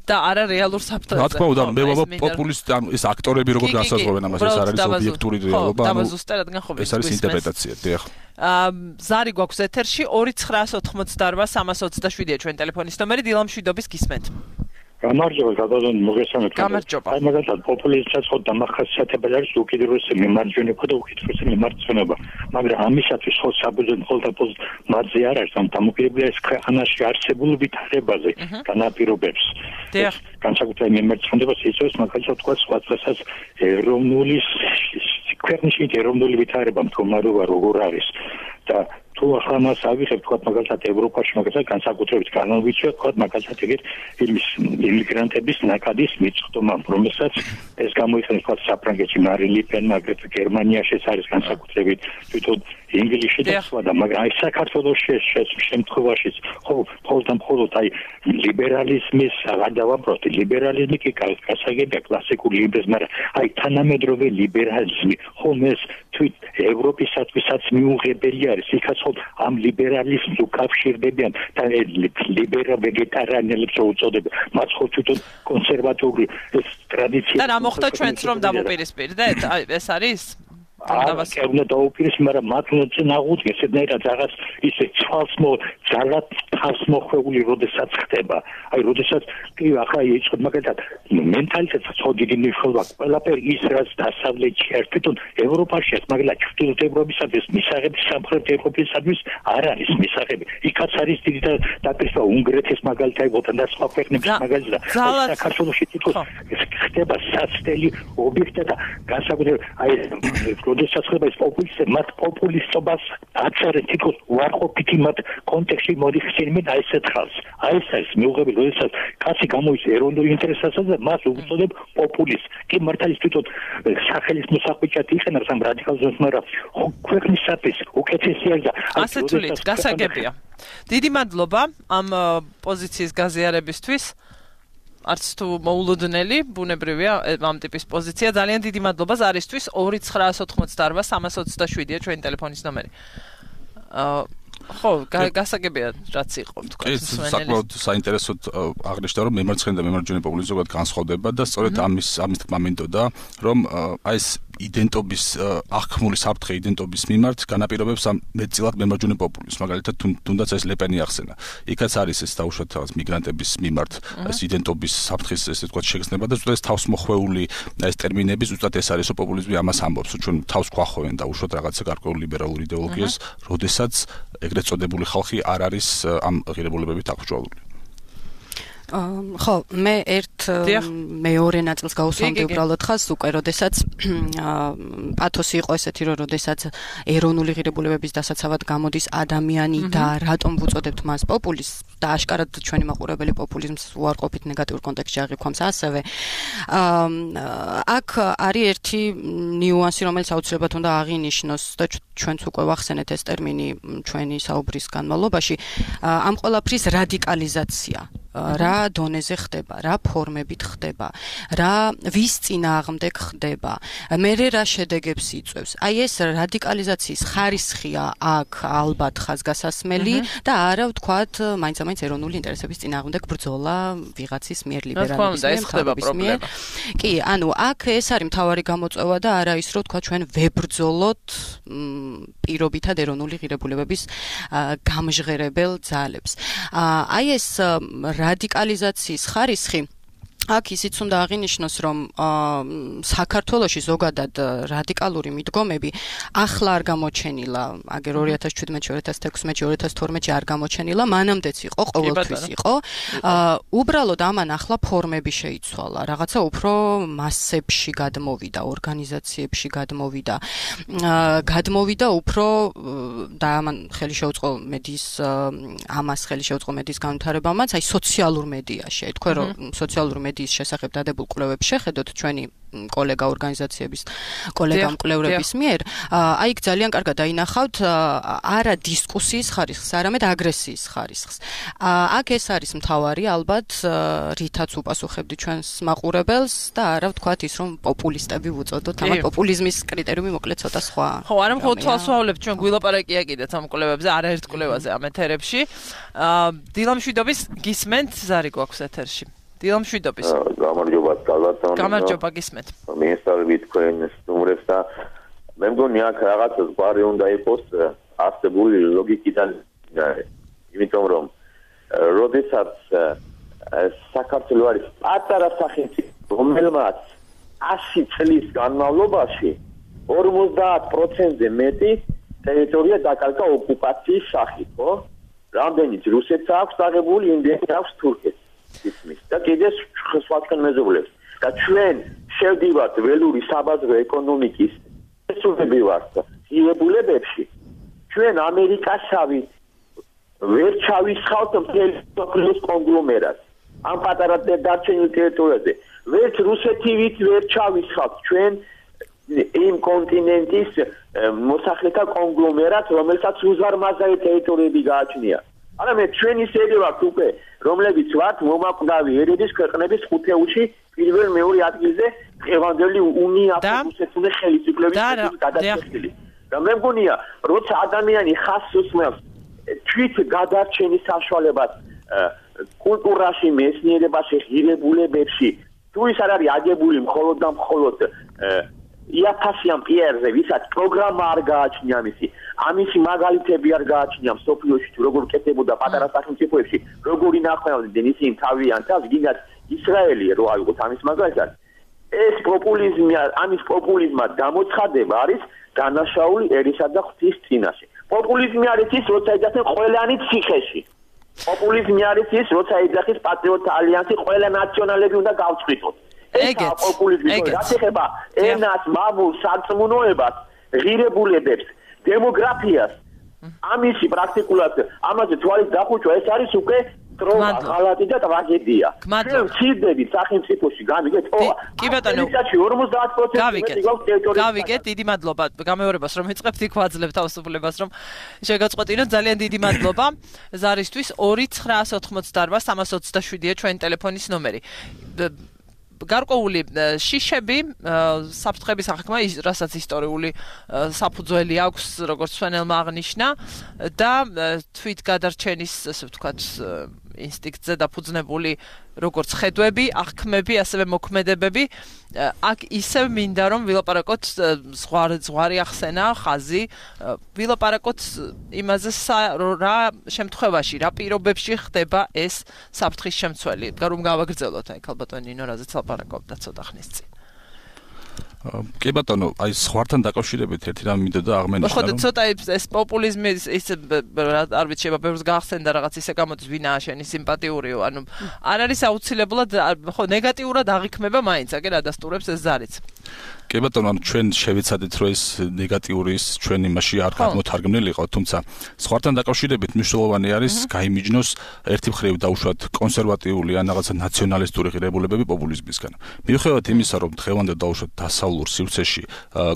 და არა რეალურ საფრთხეზე. რა თქმა უნდა, მე ვაბა პოპულისტი, ანუ ეს აქტორები როგორ განსაზღვრავენ ამას, ეს არის ობიექტური რეალობა, ანუ ეს არის ინტერპრეტაცია, დიახ. ზარი გვაქვს ეთერში 2988-327-ია ჩვენ ტელეფონის ნომერი, დილა მშვიდობის გისმენთ. გამარჯობა, გადადონ მოგესალმებით. გამარჯობა. აი მაგალითად პოპულიზმსაც ხო დამახასიათებელი არის უკიდურესი მიმარჯვენეობა და უკიდურესი მიმარცხენეობა. მაგრამ ამისათვის ხო საბრძოლო ხოლმე მათზე არ არის, ამ დამოკიდებულია ეს ქვეყანაში არსებული ვითარებაზე, განაპირობებს. განსაკუთრებით მიმარცხენებას იწვევს მაგალითად თქვა სხვა წესას ეროვნული ქვეყნის ეროვნული ვითარება მდგომარეობა როგორ არის და თუ ახლა მას ავიღებთ თქვა მაგალითად ევროპაში მაგალითად განსაკუთრებით განვიცვათ თქვა მაგალითად ეგეთ იმიგრანტების ნაკადის მიწხდომა რომელსაც ეს გამოიხსენებს თქვა საფრანგეთში მარი ლი პენ აგრეთვე გერმანიაში ეს არის განსაკუთრებით თვითონ ინგლისში და სხვა და მაგრამ აი საქართველოში შემთხვევაშიც ხო მხოლოდ აი ლიბერალიზმის გადავაბროთ ლიბერალიზმი კი გასაგებია კლასიკური ლიბერალიზმი მაგრამ აი თანამედროვე ლიბერალიზმი ხომ ეს თვით ევროპისათვისაც მიუღებელი არის იქაც ხო ამ ლიბერალიზმს უკავშირდებიან და ლიბერალ ვეგეტარიანელებს უწოდებენ მათ ხო თვითონ კონსერვატიული ეს ტრადიცია და რა მოხდა ჩვენც რომ დამოპირისპირდეთ აი ეს არის არა, უნდა დაუპირისპირდეს, მაგრამ მათ უნდა წინააღმდეგეს ესეთნაირად რაღაც ისე ძალად თავს მოხვეული, როდესაც ხდება. აი, როდესაც კი ახლა იწყებ მაგალითად მენტალიტეტსაც ხო დიდი მნიშვნელობა აქვს. ყველაფერი ის რაც დასავლეთში არის, თვითონ ევროპაში არის, მაგრამ ჩრდილოეთ ევროპისათვის მისაღები, სამხრეთ ევროპისათვის არ არის მისაღები. იქაც არის დიდი დაპირისპირება უნგრეთის მაგალითად, ოთან და სხვა ქვეყნების მაგალითად. საქართველოში თვითონ ხდება საცდელი ობიექტი და განსაკუთრებით აი როდესაც ხდება ეს პოპულისტი, მათ პოპულისტობას აწერენ თითქოს უარყოფითი მათ კონტექსტში მოდიხსენებენ აი ესეთ ხალხს. აი ეს არის მიუღებელი, როდესაც კაცი გამოდის ეროვნულ ინტერესებსა და მას უწოდებ პოპულისტ. კი მართლა ის თვითონ სახელის მოსაყვიჭად იყენებს ამ რადიკალიზმს, მაგრამ ქვეყნისათვის უკეთესი არის და ასე თვლით, გასაგებია. დიდი მადლობა ამ პოზიციის გაზიარებისთვის. არც თუ მოულოდნელი, ბუნებრივია ამ ტიპის პოზიცია. ძალიან დიდი მადლობა ზარისთვის. 2988-327-ია ჩვენი ტელეფონის ნომერი. ხო, გასაგებია რაც იყო თქვა. ეს საკმაოდ საინტერესოდ აღნიშნა რომ მემარცხენე და მემარჯვენე პოპულიზმი ზოგადად განსხვავდება და სწორედ ამის თქმა მინდოდა რომ აი ეს იდენტობის აღქმული საფრთხე იდენტობის მიმართ განაპირობებს ამ მეტწილად მემარჯვენე პოპულიზმს. მაგალითად თუნდაც ეს ლეპენი ახსენა. იქაც არის ეს დაუშვათ რაღაც მიგრანტების მიმართ ეს იდენტობის საფრთხის ესე ვთქვათ შეგრძნება და ზუსტად ეს თავსმოხვეული ეს ტერმინები ზუსტად ეს არის პოპულიზმი ამას ამბობს. ჩვენ თავს გვახვევენ დაუშვათ რაღაცა გარკვეულ ლიბერალურ იდეოლოგიას, როდესაც ეგრეთ წოდებული ხალხი არ არის ამ ღირებულებებით აღჭურვილი. ხო, მე მეორე ნაწილს გავუსვამდი უბრალოდ ხას უკვე, როდესაც პათოსი იყო ესეთი, რომ როდესაც ეროვნული ღირებულებების დასაცავად გამოდის ადამიანი და რატომ ვუწოდებთ მას პოპულიზმს და აშკარად ჩვენი მაყურებელი პოპულიზმს უარყოფით ნეგატიურ კონტექსტში აღიქვამს ასევე. აქ არის ერთი ნიუანსი, რომელიც აუცილებლად უნდა აღინიშნოს და ჩვენც უკვე ვახსენეთ ეს ტერმინი ჩვენი საუბრის განმავლობაში, ამ ყველაფრის რადიკალიზაცია. რა დონეზე ხდება, რა ფორმებით ხდება, რა ვის წინააღმდეგ ხდება, მერე რა შედეგებს იწვევს. აი ეს რადიკალიზაციის ხარისხია აქ ალბათ ხაზგასასმელი და არა ვთქვათ მაინც-მაინც ეროვნული ინტერესების წინააღმდეგ ბრძოლა ვიღაცის მიერ ლიბერალების მიერ. კი, ანუ აქ ეს არის მთავარი გამოწვევა და არა ის რომ თქვა ჩვენ ვებრძოლოთ პირობითად ეროვნული ღირებულებების გამჟღერებელ ძალებს. აი ეს რადიკალიზაციის ხარისხი აქ ისიც უნდა აღინიშნოს, რომ საქართველოში ზოგადად რადიკალური მიდგომები ახლა არ გამოჩენილა, აგერ 2017, 2016, 2012 არ გამოჩენილა, მანამდეც იყო, ყოველთვის იყო. უბრალოდ ამან ახლა ფორმები შეიცვალა, რაღაცა უფრო მასებში გადმოვიდა, ორგანიზაციებში გადმოვიდა უფრო და ამან ხელი შეუწყო მედიის ამას ხელი შეუწყო მედიის განვითარებამაც, აი სოციალურ მედიაში, აი თქვენ რომ სოციალურ მედიის შესახებ დადებულ კვლევებს შეხედოთ ჩვენი კოლეგა ორგანიზაციების კოლეგა მკვლევრების მიერ, აი იქ ძალიან კარგად დაინახავთ არა დისკუსიის ხარისხს, არამედ აგრესიის ხარისხს. აქ ეს არის მთავარი ალბათ, რითაც უპასუხებდი ჩვენს მაყურებელს და არა ვთქვათ ის რომ პოპულისტები ვუწოდოთ, ამან პოპულიზმის კრიტერიუმი მოკლედ ცოტა სხვა. ხო, არა მხოლოდ თვალსაჩინო ჩვენ გვილაპარაკია კიდეც ამ კვლევებზე, არაერთ კვლევაზე ამ ეთერებში. დილამშვიდობის გისმენთ ზარი გვაქვს ეთერში. დილამშვიდობის. გამარჯობა, გალათონი. გამარჯობა, გისმენთ. მინისტრები თქვენ სტუმრებს და მე მგონი აქ რაღაცა ზღვარი უნდა იყოს არსებული ლოგიკიდან, იმიტომ რომ როდესაც საქართველოს არის პატარა სახელმწიფო, რომელმაც 100 წლის განმავლობაში 50%-ზე მეტი ტერიტორია დაკარგა ოკუპაციის სახით, ხო? რამდენიც რუსეთს აქვს დაღებული, იმდენი აქვს თურქეთს. და კიდე სხვადასხვა მეზობლებს და ჩვენ შევდივართ ველური საბაზრო ეკონომიკის შესრულები ვართ ღირებულებებში ჩვენ ამერიკასავით ვერ ჩავისხავთ მთელი მსოფლიოს კონგლომერატს ამ პატარა დარჩენილ ტერიტორიაზე ვერც რუსეთივით ვერ ჩავისხავთ ჩვენ იმ კონტინენტის მოსახლეთა კონგლომერატს რომელსაც უზარმაზარი ტერიტორიები გააჩნია არამედ ჩვენ ისე ვართ უკვე რომლებიც ვართ მომაკვდავი ერების ქვეყნების ხუთეულში პირველ მეორე ადგილზე დღევანდელი უნიაფროსეთული ხელისუფლების გადაწყვეტილი. და მე მგონია, როცა ადამიანი ხაზს უსმენს თვით გადარჩენის საშუალებას კულტურაში, მეცნიერებაში, ღირებულებებში, თუ ის არ არის აგებული მხოლოდ და მხოლოდ იაფასიან პიერზე, ვისაც პროგრამა არ გააჩნია ამისი მაგალითები არ გააჩნია მსოფლიოში თუ როგორ კეთდებოდა პატარა სახელმწიფოებში, როგორ ინახავდნენ ისინი თავიანთ თავს, გინდათ ისრაელი რო აიღოთ ამის მაგალითად. ეს პოპულიზმი, ამის პოპულიზმად გამოცხადება არის დანაშაული ერისა და ღვთის წინაშე. პოპულიზმი არის ის, როცა ეძახენ ყველანი ციხეში. პოპულიზმი არის ის, როცა ეძახის პატრიოტთა ალიანსი, ყველა ნაციონალები უნდა გავწყვიტოთ. ეგეც პოპულიზმი რაც ეხება ენას, მამულს, სარწმუნოებას, ღირებულებებს, დემოგრაფიას, ამისი პრაქტიკულად ამაზე თვალის დახუჭვა ეს არის უკვე ტრომა, ღალატი და ტრაგედია. ჩვენ ვცირდებით სახელმწიფოში გამიგეთ? კი ბატონო, 50% გავიგეთ, დიდი მადლობა გამეორებას რომ ეწყებთ იქ ვაძლევ თავისუფლებას რომ შეგაწყვეტინოთ, ძალიან დიდი მადლობა ზარისთვის 2988327-ია ჩვენი ტელეფონის ნომერი. გარკვეული შიშები საფრთხების აღქმა, რასაც ისტორიული საფუძველი აქვს, როგორც სვენელმა აღნიშნა და თვით გადარჩენის, ასე ვთქვათ, ინსტინქტზე დაფუძნებული როგორც ხედვები, აღქმები, ასევე მოქმედებები, აქ ისევ მინდა რომ ვილაპარაკოთ ზღვარი ახსენა, ხაზი, ვილაპარაკოთ იმაზე რა შემთხვევაში, რა პირობებში ხდება ეს საფრთხის შემცველი. რომ გავაგრძელოთ აი ქალბატონი ნინო რაზეც ლაპარაკობდა ცოტა ხნის წინ. კი ბატონო, აი ზღვართან დაკავშირებით ერთი რამ მინდოდა აღმენიშნა რომ ხო ცოტა ეს პოპულიზმი ის არ ვიცი შეიძლება ბევრს გაახსენდა რაღაც ისე გამოდის ვინაა შენი სიმპათიურიო, ანუ არ არის აუცილებლად ხო ნეგატიურად აღიქმება მაინც, აგერ ადასტურებს ეს ზარიც. კი ბატონო, ანუ ჩვენ შევეცადეთ რომ ეს ნეგატიური ის ჩვენ იმაში არ გამოთარგმნილი იყო, თუმცა ზღვართან დაკავშირებით მნიშვნელოვანი არის გაიმიჯნოს ერთი მხრივ დაუშვათ კონსერვატიული ან რაღაცა ნაციონალისტური ღირებულებები პოპულიზმისგან. მიუხედავად იმისა, რომ დღევანდელ დაუშვათ დასავლურ სივრცეში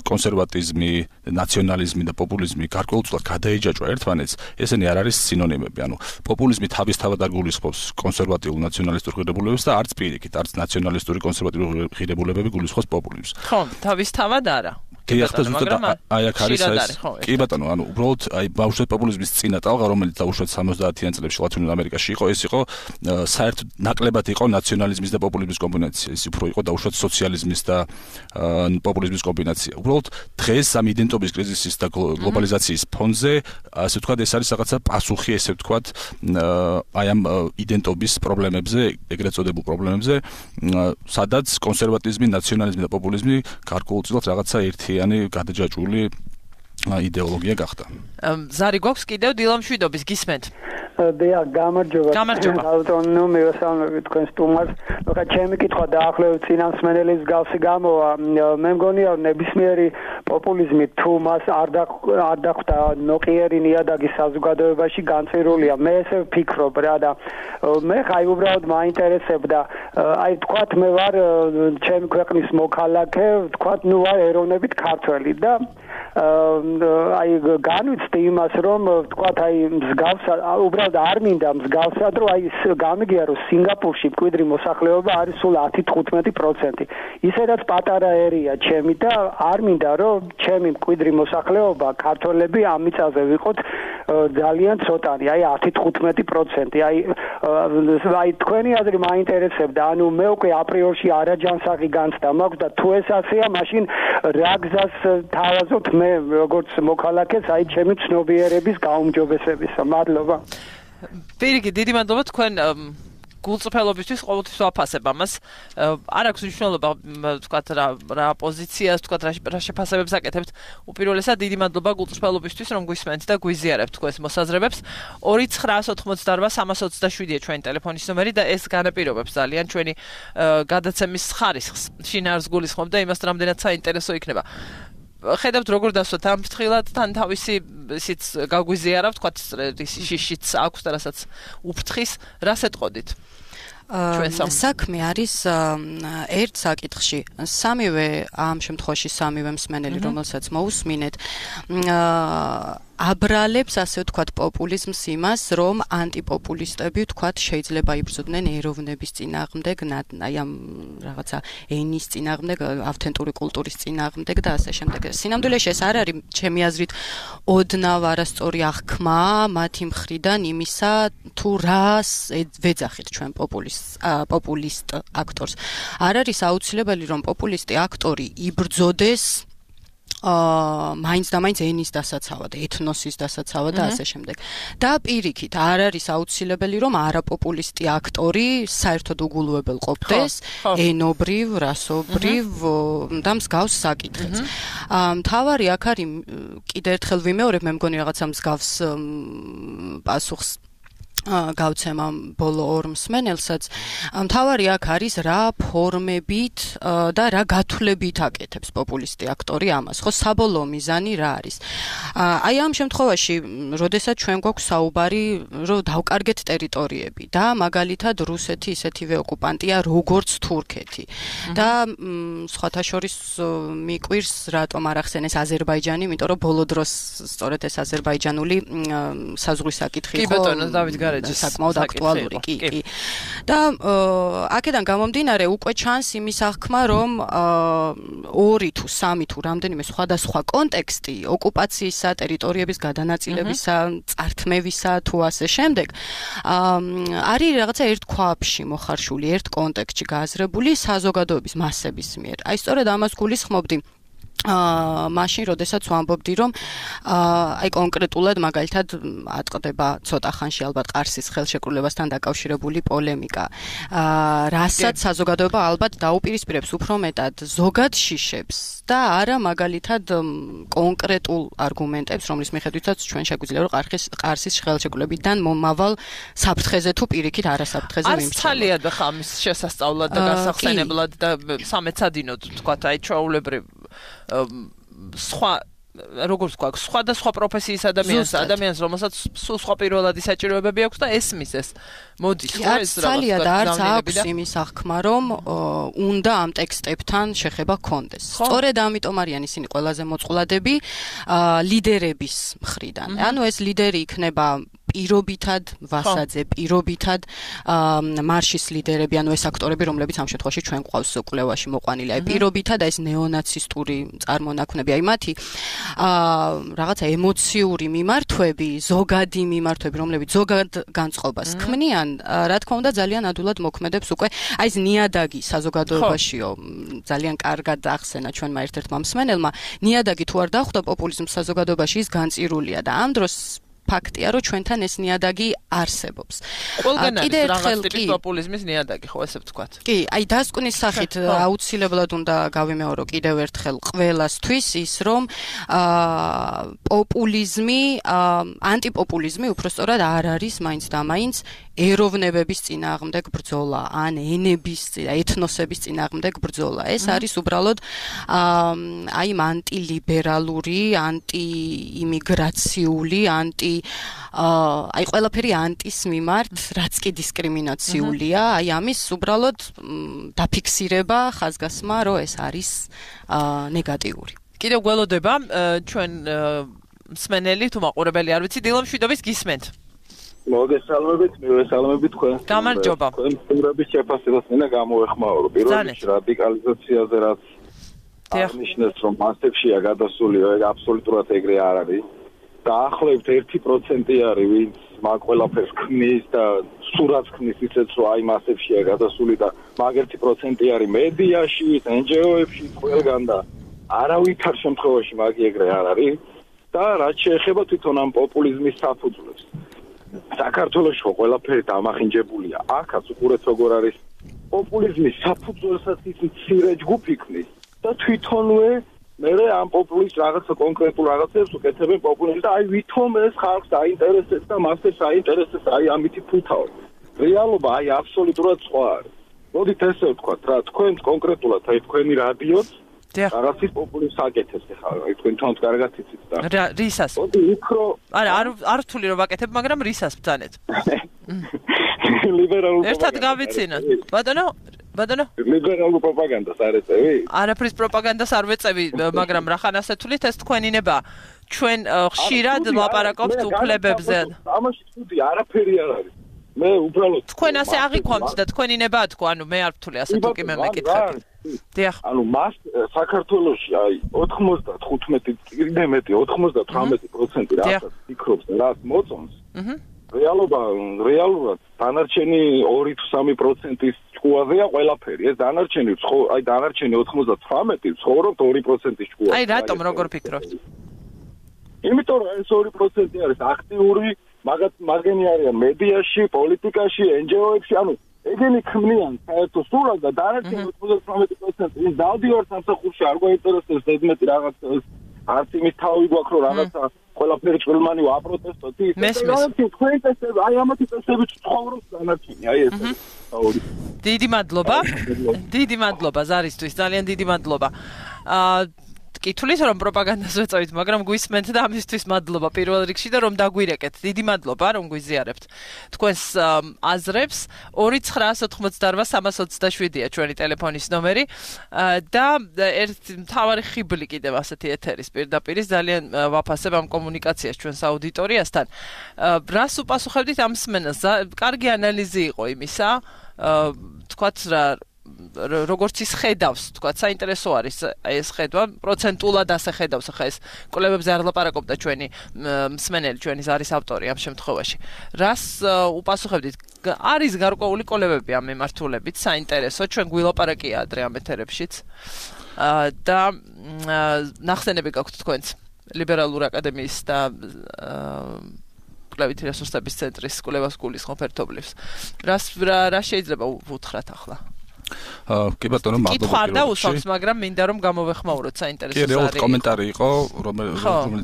კონსერვატიზმი, ნაციონალიზმი და პოპულიზმი გარკვეულწილად გადაეჯაჭვა ერთმანეთს, ესენი არ არის სინონიმები. ანუ პოპულიზმი თავისთავად არ გულისხმობს კონსერვატიულ ნაციონალისტურ ღირებულებებს და არც პირიქით, არც ნაციონალისტური კონსერვატიული ღირებულებები გულისხმობს პოპულიზმს. ხო, თავისთავად არა. გეახდა ზუსტად აი აქ არის ეს კი ბატონო ანუ უბრალოდ აი ბავშვთა პოპულიზმის წინა ტალღა რომელიც დაუშვათ 70-იან წლებში ლათინურ ამერიკაში იყო ეს იყო საერთოდ ნაკლებად იყო ნაციონალიზმის და პოპულიზმის კომბინაცია ის უფრო იყო დაუშვათ სოციალიზმის და პოპულიზმის კომბინაცია უბრალოდ დღეს ამ იდენტობის კრიზისის და გლობალიზაციის ფონზე ასე ვთქვათ ეს არის რაღაცა პასუხი ესე ვთქვათ აი ამ იდენტობის პრობლემებზე ეგრეთ წოდებულ პრობლემებზე სადაც კონსერვატიზმი ნაციონალიზმი და პოპულიზმი გარკვეულწილად რაღაცა ერთიანი გადაჯაჭვული იდეოლოგია გახდა. ზარი გვაქვს კიდევ დილა მშვიდობის გისმენთ. დიახ, გამარჯობა. ავტონო მევასალმები თქვენ სტუმარს. ხა ჩემი კითხვა დაახლოებით წინამსმენელის გავსი გამოვა. მე მგონია ნებისმიერი პოპულიზმი თუ მას არ დახვდა ნოყიერი ნიადაგი საზოგადოებაში განწირულია. მე ესე ვფიქრობ რა და მე ხაი უბრალოდ მაინტერესებდა აი თქვათ მე ვარ ჩემი ქვეყნის მოქალაქე, თქვათ ნუ ვარ ეროვნებით ქართველი და აი განვიცდი იმას რომ თქვათ აი მსგავსა უბრალოდ არ მინდა მსგავსად რომ აი გამიგია რომ სინგაპურში მკვიდრი მოსახლეობა არის სულ 10-15%. ისედაც პატარა ერია ჩემი და არ მინდა რომ ჩემი მკვიდრი მოსახლეობა ქართველები ამ მიწაზე ვიყოთ ძალიან ცოტანი, აი 10-15%. აი თქვენი აზრი მაინტერესებდა. ანუ მე უკვე აპრიორში არაჯანსაღი განცდა მაქვს და თუ ეს ასეა, მაშინ რა გზას თავაზობთ მე როგორც მოქალაქეს აი ჩემი ცნობიერების გაუმჯობესების. მადლობა. პირიქით, დიდი მადლობა თქვენ გულწრფელობისთვის ყოველთვის ვაფასებ ამას. არ აქვს მნიშვნელობა ვთქვათ რა პოზიციას, ვთქვათ რა შეფასებებს აკეთებთ. უპირველესად დიდი მადლობა გულწრფელობისთვის, რომ გვისმენთ და გვიზიარებთ თქვენს მოსაზრებებს. 2988327-ია ჩვენი ტელეფონის ნომერი და ეს განაპირობებს ძალიან ჩვენი გადაცემის ხარისხს. შინაარს გულისხმობ და იმას რამდენად საინტერესო იქნება. ხედავთ როგორ დასვათ ამ ფრთხილად თან თავისი ისიც გაგვიზიარა ვთქვათ შიშიც აქვს და რასაც უფრთხის რას ეტყოდით საქმე არის ერთ საკითხში სამივე ამ შემთხვევაში სამივე მსმენელი რომელსაც მოусმინეთ აბრალებს ასე ვთქვათ პოპულიზმს იმას რომ ანტიპოპულისტები ვთქვათ შეიძლება იბრძოდნენ ეროვნების წინააღმდეგ აი ამ რაღაცა ენის წინააღმდეგ ავთენტური კულტურის წინააღმდეგ და ასე შემდეგ სინამდვილეში ეს არ არის ჩემი აზრით ოდნავ არასწორი აღქმა მათი მხრიდან იმისა თუ რას ვეძახით ჩვენ პოპულისტ აქტორს არ არის აუცილებელი რომ პოპულისტი აქტორი იბრძოდეს მაინც და მაინც ენის დასაცავად, ეთნოსის დასაცავად და ასე შემდეგ. და პირიქით, არ არის აუცილებელი რომ არაპოპულისტი აქტორი საერთოდ უგულვებელ ყოფდეს ენობრივ, რასობრივ და მსგავს საკითხებს. მთავარი აქ არის კიდევ ერთხელ ვიმეორებ, მე მგონი რაღაცა მსგავს პასუხს გავცემა ბოლო ორ მსმენელსაც მთავარი აქ არის რა ფორმებით და რა გათვლებით აკეთებს პოპულისტი აქტორი ამას ხო საბოლოო მიზანი რა არის აი ამ შემთხვევაში როდესაც ჩვენ გვაქვს საუბარი რომ დავკარგეთ ტერიტორიები და მაგალითად რუსეთი ისეთივე ოკუპანტია როგორც თურქეთი და სხვათა შორის მიკვირს რატომ არ ახსენეს აზერბაიჯანი იმიტომ რომ ბოლო დროს სწორედ ეს აზერბაიჯანული საზღვრის საკითხი კი ბატონო დავით საკმაოდ აქტუალური კი და აქედან გამომდინარე უკვე ჩანს იმის აღქმა რომ 2 თუ 3 თუ რამდენიმე სხვადასხვა კონტექსტი ოკუპაციისა ტერიტორიების გადანაწილებისა წართმევისა თუ ასე შემდეგ არის რაღაცა ერთ ქვაბში მოხარშული ერთ კონტექსტში გააზრებული საზოგადოების მასების მიერ აი სწორედ ამას გულისხმობდი მაშინ როდესაც ვამბობდი რომ აი კონკრეტულად მაგალითად ატყდება ცოტა ხანში ალბათ ყარსის ხელშეკრულებასთან დაკავშირებული პოლემიკა რასაც საზოგადოება ალბათ დაუპირისპირებს უფრო მეტად ზოგად შიშებს და არა მაგალითად კონკრეტულ არგუმენტებს რომლის მიხედვითაც ჩვენ შეგვიძლია რომ ყარსის ხელშეკრულებიდან მომავალ საფრთხეზე თუ პირიქით არასაფრთხეზე ვიმსჯელოთ. არის ძალიან ხა ამის შესასწავლად და გასახსენებლად და სამეცადინოდ თქვა აი ჩვეულებრივ სხვა როგორც გვაქვს სხვადასხვა პროფესიის ადამიანს რომელსაც სულ სხვა პირველადი საჭიროებები აქვს და ესმის ეს მოდის ხო ეს ძალიან არც აქვს იმის აღქმა რომ უნდა ამ ტექსტებთან შეხება ჰქონდეს სწორედ ამიტომ არიან ისინი ყველაზე მოწყვლადები ლიდერების მხრიდან ანუ ეს ლიდერი იქნება პირობითად ვასაძე, პირობითად მარშის ლიდერები, ანუ ეს აქტორები, რომლებიც ამ შემთხვევაში ჩვენ გვყავს კვლევაში მოყვანილი, აი პირობითად ეს ნეონაცისტური წარმონაქმნები, აი მათი რაღაცა ემოციური მიმართვები, ზოგადი მიმართვები, რომლებიც ზოგად განწყობას ქმნიან, რა თქმა უნდა ძალიან ადვილად მოქმედებს უკვე აი ეს ნიადაგი საზოგადოებაშიო ძალიან კარგად ახსენა ჩვენმა ერთ-ერთმა მსმენელმა, ნიადაგი თუ არ დახვდა პოპულიზმს საზოგადოებაში ის განწირულია და ამ დროს ფაქტია, რომ ჩვენთან ეს ნიადაგი არსებობს. Ყველგან არის რაღაც ტიპის პოპულიზმის ნიადაგი, ხო ესე ვთქვათ. კი, აი დასკვნის სახით აუცილებლად უნდა გავიმეორო კიდევ ერთხელ ყველასთვის ის, რომ პოპულიზმი, ანტიპოპულიზმი უпростоრად არ არის მაინც და მაინც ეროვნებების წინააღმდეგ ბრძოლა, ან ენების, ეთნოსების წინააღმდეგ ბრძოლა. ეს არის უბრალოდ აი ანტილიბერალური, ანტიიმიგრაციული, აი ყველაფერი ანტის მიმართ, რაც კი დისკრიმინაციულია, აი ამის უბრალოდ დაფიქსირება, ხაზგასმა, რომ ეს არის ნეგატიური. კიდევ გველოდება ჩვენ მსმენელი თუ მაყურებელი არ ვიცი, დილა მშვიდობის გისმენთ. მოგესალმებით, მივესალმებით თქვენ. გამარჯობა. თქვენ სტუმრების შეფასებას მინდა გამოეხმაურო. პირველ რიგში რადიკალიზაციაზე რაც აღნიშნეს, რომ მასებშია გადასული, აბსოლუტურად ეგრე არ არის. დაახლოებით 1% არის, ვინც მაგ ყველაფერს ქმნის და სურათს ქმნის ისეც, რომ აი მასებშია გადასული და მაგ 1% არის მედიაში, NGO-ებში, ყველგან და არავითარ შემთხვევაში მაგი ეგრე არ არის და რაც შეეხება თვითონ ამ პოპულიზმის საფუძვლებს. საქართველოში ყველაფერი დამახინჯებულია. აქაც უყურეთ როგორ არის პოპულიზმის საფუძველსაც ის მცირე ჯგუფი ქმნის და თვითონვე მე ამ პოპულიზმის რაღაცა კონკრეტულ რაღაცებს უკეთებენ პოპულიზმს და აი ვითომ ეს ხალხს აინტერესებს და მასებს აინტერესებს აი ამითი ფულთავი. რეალობა აი აბსოლუტურად სხვა არის. მოდით ესე ვთქვათ რა, თქვენ კონკრეტულად აი თქვენი რადიოც რაღაცის პოპულიზმს აკეთებს ხა, აი თქვენ თვითონ კარგად იცით და რისას? მოდი უფრო არ რთული რომ ვაკეთებ, მაგრამ რისას ბძანეთ? ლიბერალურ ერთად გავიცინოთ. ბატონო? ლიბერალურ პროპაგანდას არ ეწევი? არაფრის პროპაგანდას არ ვეწევი, მაგრამ რახან ასე თulit ეს თქვენი ნება. ჩვენ ხშირად ლაპარაკობთ უფლებებზე. ამაში თუდი არაფერი არ არის. მე უბრალოდ თქვენ ასე აღიქვამთ და თქვენი ნება თქვა, ანუ მე არ ვთვლი ასე თუ კი მე მეკითხები. დიახ. ანუ მას საქართველოში აი 95 კიდე მეტი 98% რასაც ფიქრობს და რაც მოწონს. რეალურად დანარჩენი 2-3%-ის ჭკუაზეა ყველაფერი. ეს დანარჩენი 99 ცხოვრობთ 2%-ის ჭკუაზე. აი რატომ როგორ ფიქრობთ? იმიტომ რომ ეს 2% არის აქტიური, მაგენი არიან მედიაში, პოლიტიკაში, NGO-ებში, ანუ ეგენი ქმნიან საერთო სურათს და დანარჩენი 99% ის დავდივართ სამსახურში არ გვაინტერესებს ზედმეტი რაღაც არც იმის თავი გვაქვს რომ რაღაცა ყველაფერი ჭრილმანი ვაპროტესტოთ ის თქვენ წესები აი ამათი წესებით ცხოვრობს დანარჩენი აი ეს დიდი მადლობა ზარისთვის ძალიან დიდი მადლობა კითხulis რომ პროპაგანდას ვეწევით, მაგრამ გვისმენთ და ამისთვის მადლობა პირველ რიგში და რომ დაგვირეკეთ. დიდი მადლობა რომ გვიზიარებთ თქვენს აზრებს. 29988-327-ია ჩვენი ტელეფონის ნომერი და ერთი მთავარი ხიბლი კიდევ ასეთი ეთერის პირდაპირ ძალიან ვაფასებ ამ კომუნიკაციას ჩვენს აუდიტორიასთან. რას უპასუხებდით ამ მსმენელს? კარგი ანალიზი იყო იმისა, თქვათ რა როგორც ის ხედავს, თქვა, საინტერესო არის ეს ხედვა, პროცენტულად ასე ხედავს, ხა ეს კვლევებზე არ ლაპარაკობდა ჩვენი მსმენელი, ჩვენი ზარის ავტორი ამ შემთხვევაში. რას უპასუხებდით? არის გარკვეული კვლევები ამ მიმართულებით, საინტერესო, ჩვენ გვილაპარაკია ადრე ამ ეთერებშიც. და ნახსენები გაქვთ თქვენც ლიბერალურ აკადემიის და კვლევითი რესურსების ცენტრის კვლევას გულისხმობ ერთობლივს. რა შეიძლება ვუთხრათ ახლა? კი ბატონო, მადლობა. კითხვა არ დაუსვამს, მაგრამ მინდა რომ გამოვეხმაუროთ საინტერესო არის. კი, რეალურად კომენტარი იყო, რომელიც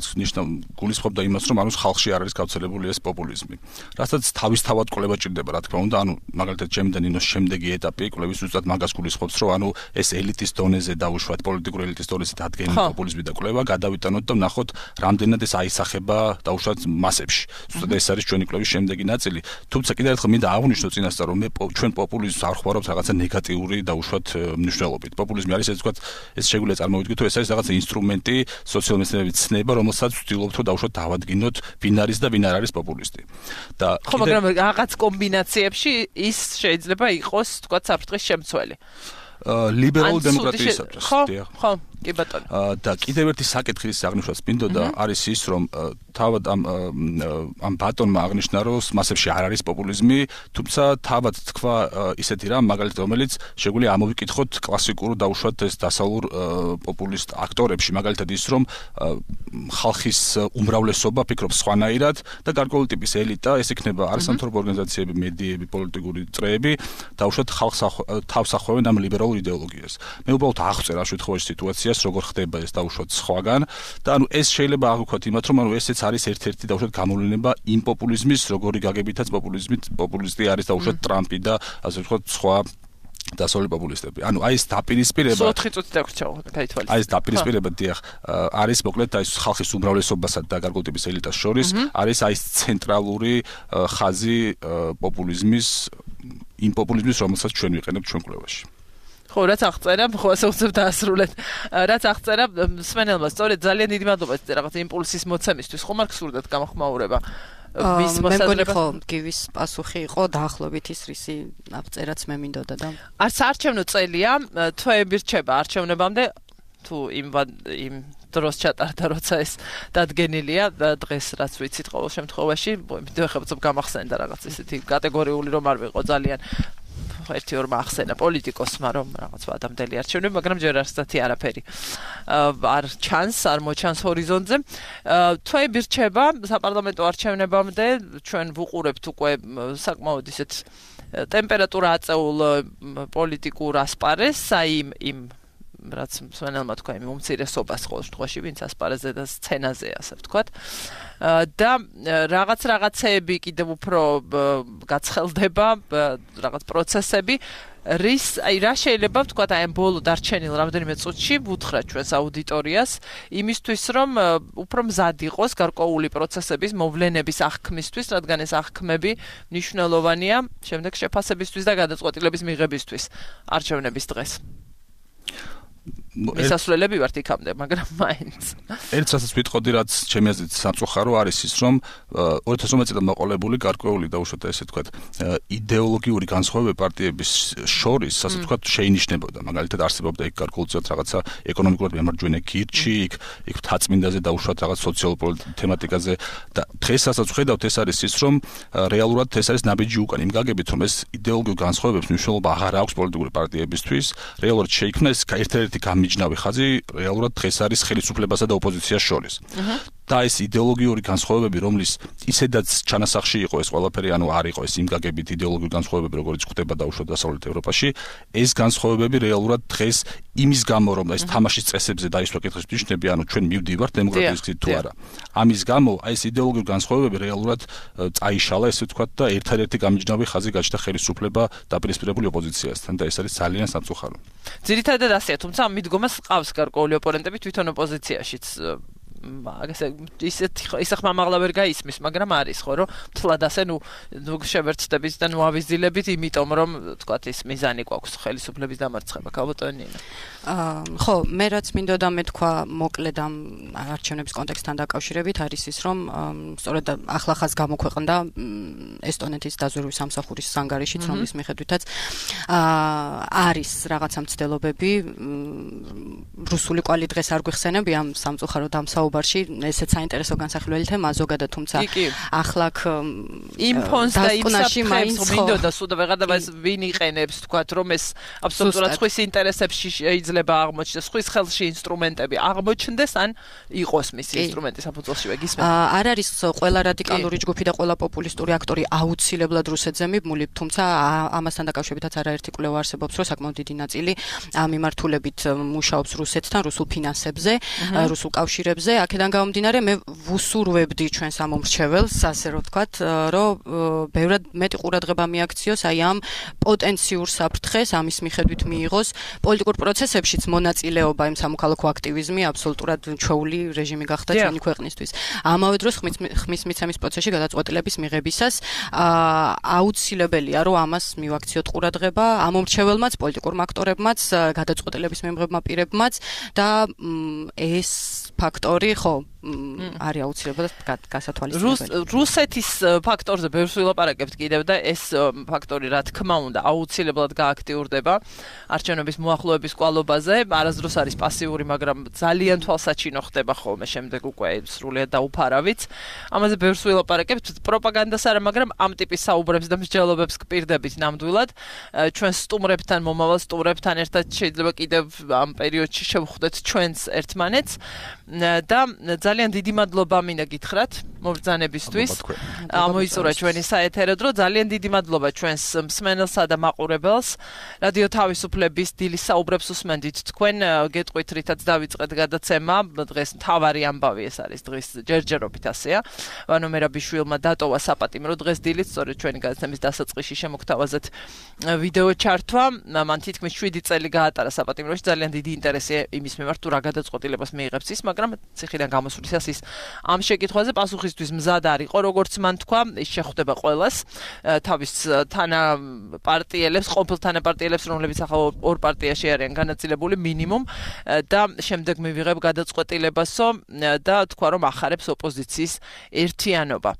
გულისხმობდა იმას, რომ ანუ ხალხში არ არის გავრცელებული ეს პოპულიზმი. რასაც თავისთავად კვლევა ჭირდება, რა თქმა უნდა, ანუ მაგალითად ჩემი და ნინოს შემდეგი ეტაპი კვლევის ზუსტად მაგას გულისხმობს, რომ ანუ ეს ელიტის დონეზე დაუშვათ პოლიტიკური ელიტის დონეზე დადგენილი პოპულიზმი და კვლევა გადავიტანოთ და ვნახოთ, რამდენად ეს აისახება დაუშვათ მასებში. ზუსტად ეს არის ჩვენი კვლევის შემდეგი ნაწილი. თუმცა კიდევ ერთხელ მინდა აღვნიშნო წინასწარ, რომ მე ჩვენ პოპულიზმს არ ხვდარობთ რაღაცა ნეგატივ პოლიტიკური დაუშვათ მნიშვნელობით. პოპულიზმი არის ეს ვთქვათ, ეს შეგვიძლია წარმოვიდგინოთ, ეს არის რაღაც ინსტრუმენტი სოციალ-მეცნიერების ცნება, რომელსაც ვცდილობთ რომ დაუშვათ დავადგინოთ ვინ არის და ვინ არ არის პოპულისტი. და ხო, მაგრამ რაღაც კომბინაციებში ის შეიძლება იყოს ვთქვათ საფრთხის შემცველი. ლიბერალ დემოკრატიისათვის. ხო, კი ბატონო. და კიდევ ერთი საკითხი ის აღნიშნავს მინდოდა არის ის რომ თავად ამ ბატონმა აღნიშნა რომ მასებში არ არის პოპულიზმი, თუმცა თავად თქვა ისეთი რამ მაგალითად რომელიც შეგვიძლია ამოვიკითხოთ კლასიკურ დაუშვათ ეს დასავლურ პოპულისტ აქტორებში მაგალითად ის რომ ხალხის უმრავლესობა ფიქრობს სხვანაირად და გარკვეული ტიპის ელიტა ეს იქნება არასამთავრობო ორგანიზაციები, მედიები, პოლიტიკური წრეები დაუშვათ ხალხს თავს ახვევენ ამ ლიბერალურ იდეოლოგიას. მე უბრალოდ აღწერ ამ შემთხვევაში სიტუაციას როგორ ხდება ეს დაუშვათ სხვაგან და ანუ ეს შეიძლება აღვქვათ იმათ რომ ანუ ესეც არის ერთ-ერთი დაუშვათ გამოვლენა იმ პოპულიზმის როგორი გაგებითაც პოპულისტი არის დაუშვათ ტრამპი და ასე ვთქვათ სხვა დასავლური პოპულისტები. ანუ აი ეს დაპირისპირება 4 წუთი დაგვრჩა, გაითვალისწინე. აი ეს დაპირისპირება დიახ არის მოკლედ აი ხალხის უმრავლესობასა და გარკვეული ტიპის ელიტას შორის არის აი ეს ცენტრალური ხაზი პოპულიზმის იმ პოპულიზმის რომელსაც ჩვენ ვიყენებთ ჩვენ კვლევაში. ხო, რაც აღწერა, ხო ასე უცებ დაასრულეთ. რაც აღწერა სვენელმა, სწორედ ძალიან დიდი მადლობა რაღაც იმპულსის მოცემისთვის. ხომ არ გსურდათ გამოხმაურება? ვის მოსაზრება? ხო, გივის პასუხი იყო დაახლოებით ის რისი აღწერაც მე მინდოდა და არც არჩევნო წელია, თვეები რჩება არჩევნებამდე თუ იმ დროს ჩატარდა როცა ეს დადგენილია დღეს რაც ვიცით ყოველ შემთხვევაში, მე ხებოцоб გამახსენდა რაღაც ისეთი კატეგორიული რომ არ ვიყო ძალიან ერთი ორმა ახსენა პოლიტიკოსმა რომ რაღაც ადამიანელი არჩევნები, მაგრამ ჯერ არცთი არაფერი არ ჩანს, არ მოჩანს ჰორიზონტზე. თვეები რჩება საპარლამენტო არჩევნებამდე, ჩვენ ვუყურებთ უკვე საკმაოდ ისეთ ტემპერატურა აწეულ პოლიტიკურ ასპარეს, აი იმ რაც სვენელმა თქვა იმ უმცირესობას ყოველ შემთხვევაში, ვინც ასპარეზზე და სცენაზე ასე ვთქვათ. და რაღაცეები კიდევ უფრო გაცხელდება, რაღაც პროცესები, რა შეიძლება ვთქვათ აი ამ ბოლო დარჩენილ რამდენიმე წუთში ვუთხრათ ჩვენს აუდიტორიას იმისთვის რომ უფრო მზად იყოს გარკვეული პროცესების მოვლენების აღქმისთვის, რადგან ეს აღქმები მნიშვნელოვანია შემდეგ შეფასებისთვის და გადაწყვეტილების მიღებისთვის არჩევნების დღეს. მისასვლელები ვართ იქამდე, მაგრამ მაინც. ერთ რასაც ვიტყოდი, რაც ჩემი აზრით სამწუხარო არის ის, რომ 2012 წელს მოყოლებული გარკვეული დაუშვათ ესე ვთქვათ, იდეოლოგიური განსხვავებები პარტიების შორის, ასე ვთქვათ, შეინიშნებოდა. მაგალითად, არსებობდა იქ გარკვეულწილად რაღაცა ეკონომიკურად მემარჯვენე გირჩი, იქ თაცმინდაზე დაუშვათ რაღაც სოციალურ თემატიკაზე და დღეს რასაც ვხედავთ, ეს არის ის, რომ რეალურად ეს არის ნაბიჯი უკან იმ გაგებით, რომ ეს იდეოლოგიურ განსხვავებებს მნიშვნელობა აღარ აქვს პოლიტიკური პარტიებისთვის, რეალურად შეიქმნა ეს ერთ-ერთი მიჯნავი ხაზი რეალურად დღეს არის ხელისუფლებასა და ოპოზიციას შორის. და ეს იდეოლოგიური განსხვავებები, რომლის ისედაც ჩანასახში იყო ეს ყველაფერი, ანუ არ იყო ეს იმ გაგებით იდეოლოგიური განსხვავებები, როგორც ხდება დაუშვათ დასავლეთ ევროპაში, ეს განსხვავებები რეალურად დღეს იმის გამო, რომ ეს თამაშის წესებზე დაისვა კითხვის ნიშნები, ანუ ჩვენ მივდივართ დემოკრატიის გზით თუ არა. ამის გამო აი ეს იდეოლოგიური განსხვავებები რეალურად წაიშალა, ესე ვთქვათ, და ერთ-ერთი გამიჯნავი ხაზი გაჩნდა ხელისუფლება დაპირისპირებული ოპოზიციასთან და ეს არის ძალიან სამწუხარო. ძირითადად ასეა, თუმცა ამ მიდგომას ყავს გარკვეული ოპონენტები თვითონ ოპოზიციაშიც. ისე ხმამაღლა ვერ გაისმის, მაგრამ არის ხო, რომ თლად ასე ნუ შევერთდებით და ნუ ავიზილებით, იმიტომ რომ თქვათ ის მიზანი გვაქვს ხელისუფლების დამარცხება, ქალბატონინა. ხო, მე რაც მინდოდა მეთქვა მოკლედ ამ არჩევნების კონტექსტთან დაკავშირებით არის ის, რომ სწორედ ახლახანს გამოქვეყნდა ესტონეთის დაზვერვის სამსახურის ანგარიშიც, რომლის მიხედვითაც არის რაღაცა მცდელობები, რუსული კვალი დღეს არ გვიხსენები ამ სამწუხარო დამსაუბარში, ესეც საინტერესო განსახილველი თემაა ზოგადად, თუმცა ახლა იმ ფონს და იმ საფრთხებს მინდოდა სულ ვეღარდა ეს ვინ იყენებს, თქვათ, რომ ეს აბსოლუტურად სხვის ინტერესებში შეიძლება აღმოჩნდეს, სხვის ხელში ინსტრუმენტები აღმოჩნდეს, ან იყოს მისი ინსტრუმენტი საფუძველშივე გისმენთ. არ არის ყველა რადიკალური ჯგუფი და ყველა პოპულისტური აქტორი აუცილებლად რუსეთზე მიბმული, თუმცა ამასთან დაკავშირებითაც არაერთი კვლევა არსებობს, რომ საკმაოდ დიდი ნაწილი ამ მიმართულებით მუშაობს რუსეთთან, რუსულ ფინანსებზე, რუსულ კავშირებზე, აქედან გამომდინარე მე ვუსურვებდი ჩვენს ამომრჩეველს, ასე რომ ვთქვათ, რომ ბევრად მეტი ყურადღება მიაქციოს აი ამ პოტენციურ საფრთხეს, ამის მიხედვით მიიღოს პოლიტიკურ პროცესებშიც მონაწილეობა, იმ სამოქალაქო აქტივიზმი აბსოლუტურად ჩვეული რეჟიმი გახდა ჩვენი ქვეყნისთვის. ამავე დროს ხმის მიცემის პროცესში გადაწყვეტილების მიღებისას აუცილებელია, რომ ამას მივაქციოთ ყურადღება ამომრჩეველმაც, პოლიტიკურმა აქტორებმაც, გადაწყვეტილების მიღებმა პირებმაც და ეს ფაქტორი ხო არის აუცილებლად გასათვალისწინებელი. რუსეთის ფაქტორზე ბევრს ვილაპარაკებთ კიდევ და ეს ფაქტორი რა თქმა უნდა აუცილებლად გააქტიურდება არჩევნების მოახლოების კვალობაზე, არასდროს არის პასიური, მაგრამ ძალიან თვალსაჩინო ხდება ხოლმე შემდეგ უკვე სრულიად დაუფარავით. ამაზე ბევრს ვილაპარაკებთ, პროპაგანდას არა, მაგრამ ამ ტიპის საუბრებს და მსჯელობებს გპირდებით ნამდვილად. ჩვენ სტუმრებთან, მომავალ სტუმრებთან ერთად შეიძლება კიდევ ამ პერიოდში შევხვდეთ ჩვენს ერთმანეთს და ძალიან დიდი მადლობა მინდა გითხრათ მობრძანებისთვის. ამოიწურა ჩვენი საეთერო დრო. ძალიან დიდი მადლობა ჩვენს მსმენელსა და მაყურებელს. რადიო თავისუფლების დილის საუბრებს უსმენდით თქვენ. გეტყვით რითაც დავიწყეთ გადაცემა. დღეს მთავარი ამბავი ეს არის დღის ჯერჯერობით ასეა. ვანო მერაბიშვილმა დატოვა საპატიმრო დღეს დილით, სწორედ ჩვენი გადაცემის დასაწყისში შემოგთავაზეთ ვიდეო ჩართვა. მან თითქმის 7 წელი გაატარა საპატიმროში. ძალიან დიდი ინტერესია იმის მიმართ თუ რა გადაწყვეტილებას მიიღებს ის, მაგრამ ციხიდან გამოსვლისას ის ამ შეკითხვაზე პასუხისთვის მზად არ იყო, როგორც მან თქვა, ის შეხვდება ყველას, თავის თანაპარტიელებს, ყოფილ თანაპარტიელებს, რომლებიც ახლა ორ პარტიაში არიან განაწილებული მინიმუმ და შემდეგ მივიღებ გადაწყვეტილებასო და თქვა რომ ახარებს ოპოზიციის ერთიანობა.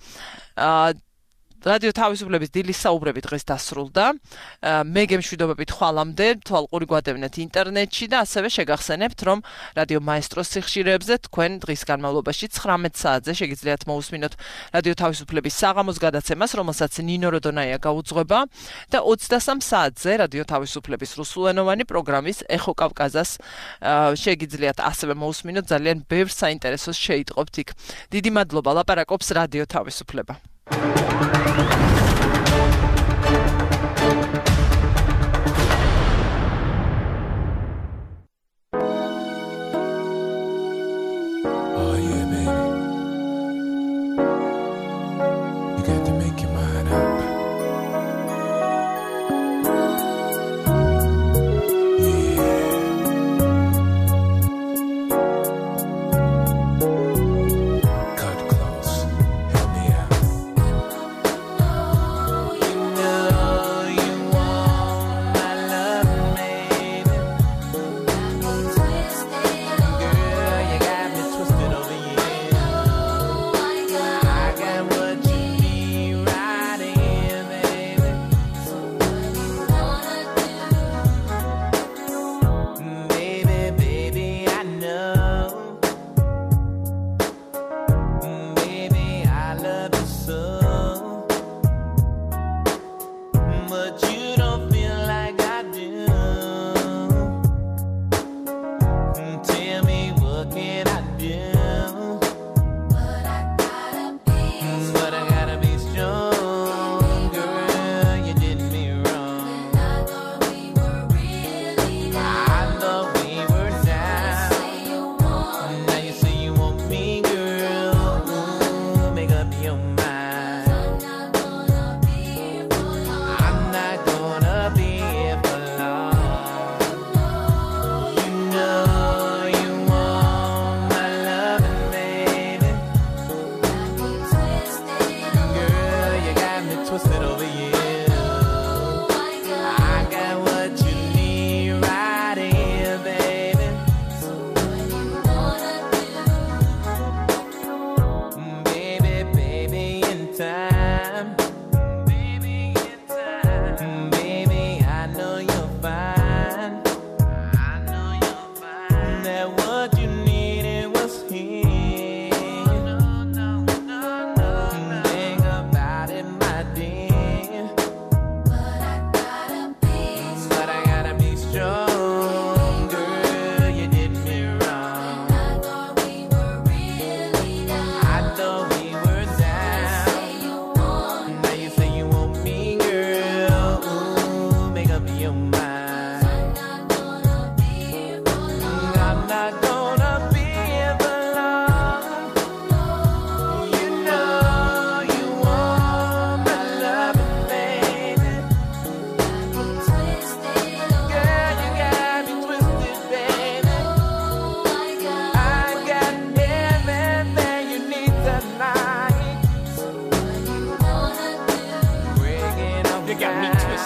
რადიო თავისუფლების დილის საუბრები დღეს დასრულდა. მე გემშვიდობებით ხვალამდე, თვალყური გვადევნეთ ინტერნეტში და ასევე შეგახსენებთ, რომ რადიო მაესტროს სიხშირეებზე თქვენ დღის განმავლობაში 19 საათზე შეგიძლიათ მოусმინოთ რადიო თავისუფლების საღამოს გადაცემას, რომელსაც ნინო როდონაია გაუძღვება და 23 საათზე რადიო თავისუფლების რუსულენოვანი პროგრამის ეხო კავკაზას შეგიძლიათ ასევე მოусმინოთ. ძალიან ბევრ საინტერესოს შეიტყობთ იქ. დიდი მადლობა, ლაპარაკობს რადიო თავისუფლება.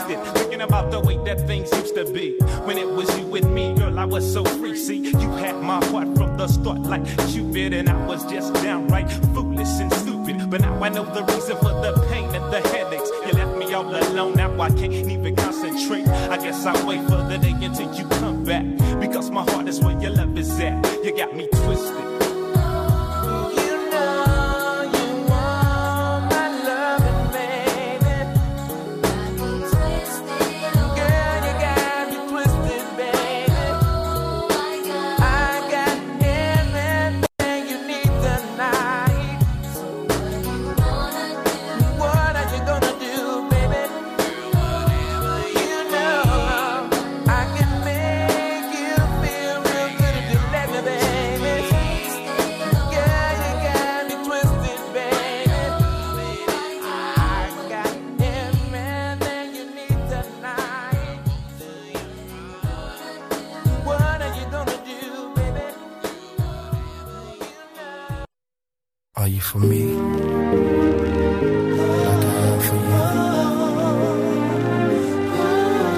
twisted, thinking about the way that things used to be. When it was you with me, girl, I was so free. See, you had my heart from the start like Cupid, and I was just downright foolish and stupid. But now I know the reason for the pain and the headaches. You left me all alone, now I can't even concentrate. I guess I'll wait for the day until you come back, because my heart is where your love is at. You got me twisted. Are you for me? Like I am for you.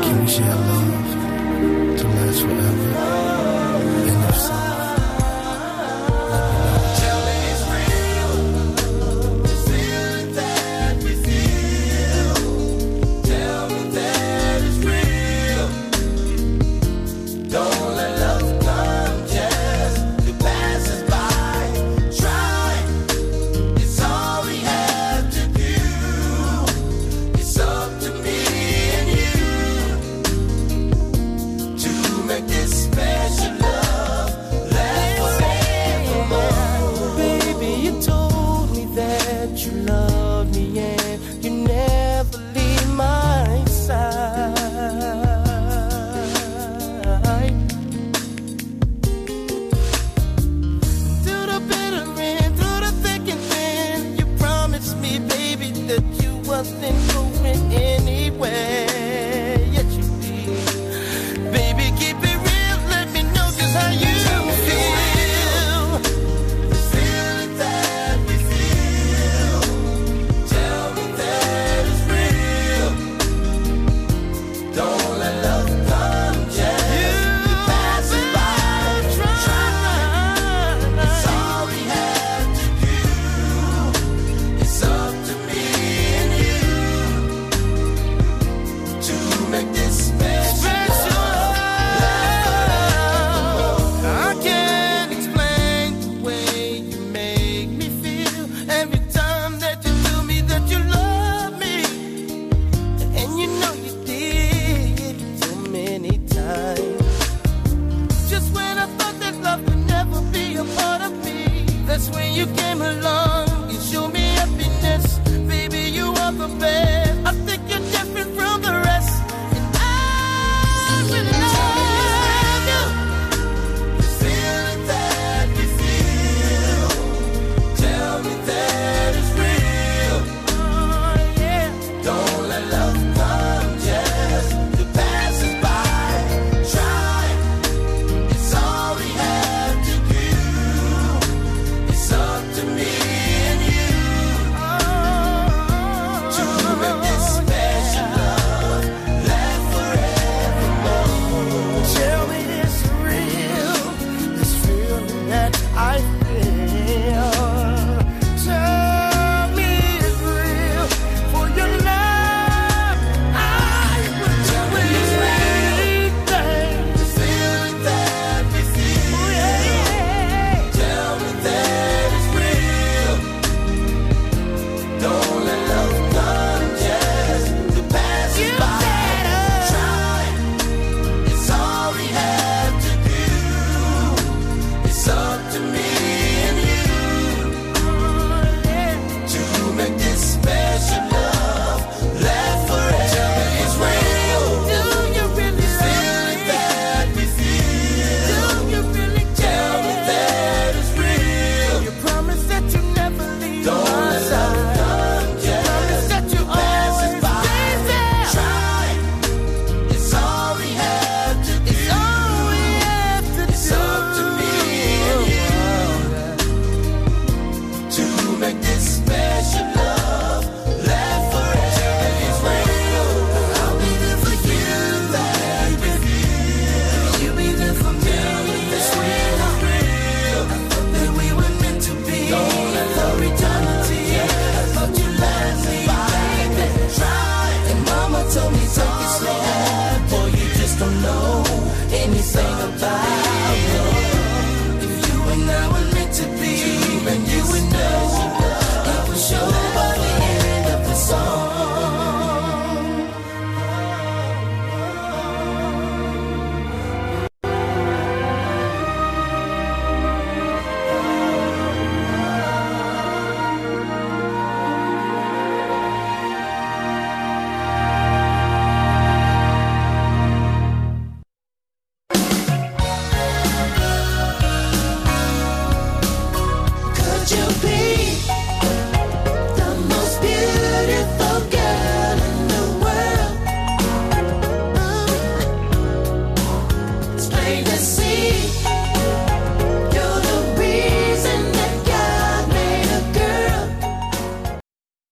Can we share love to last forever? And if so, tell me it's real. The feeling that we feel. Tell me that it's real. Don't let love come just to pass us by. Try. It's all we have to do. It's up to me and you to make this special love last forevermore. Baby, you told me that you loved me.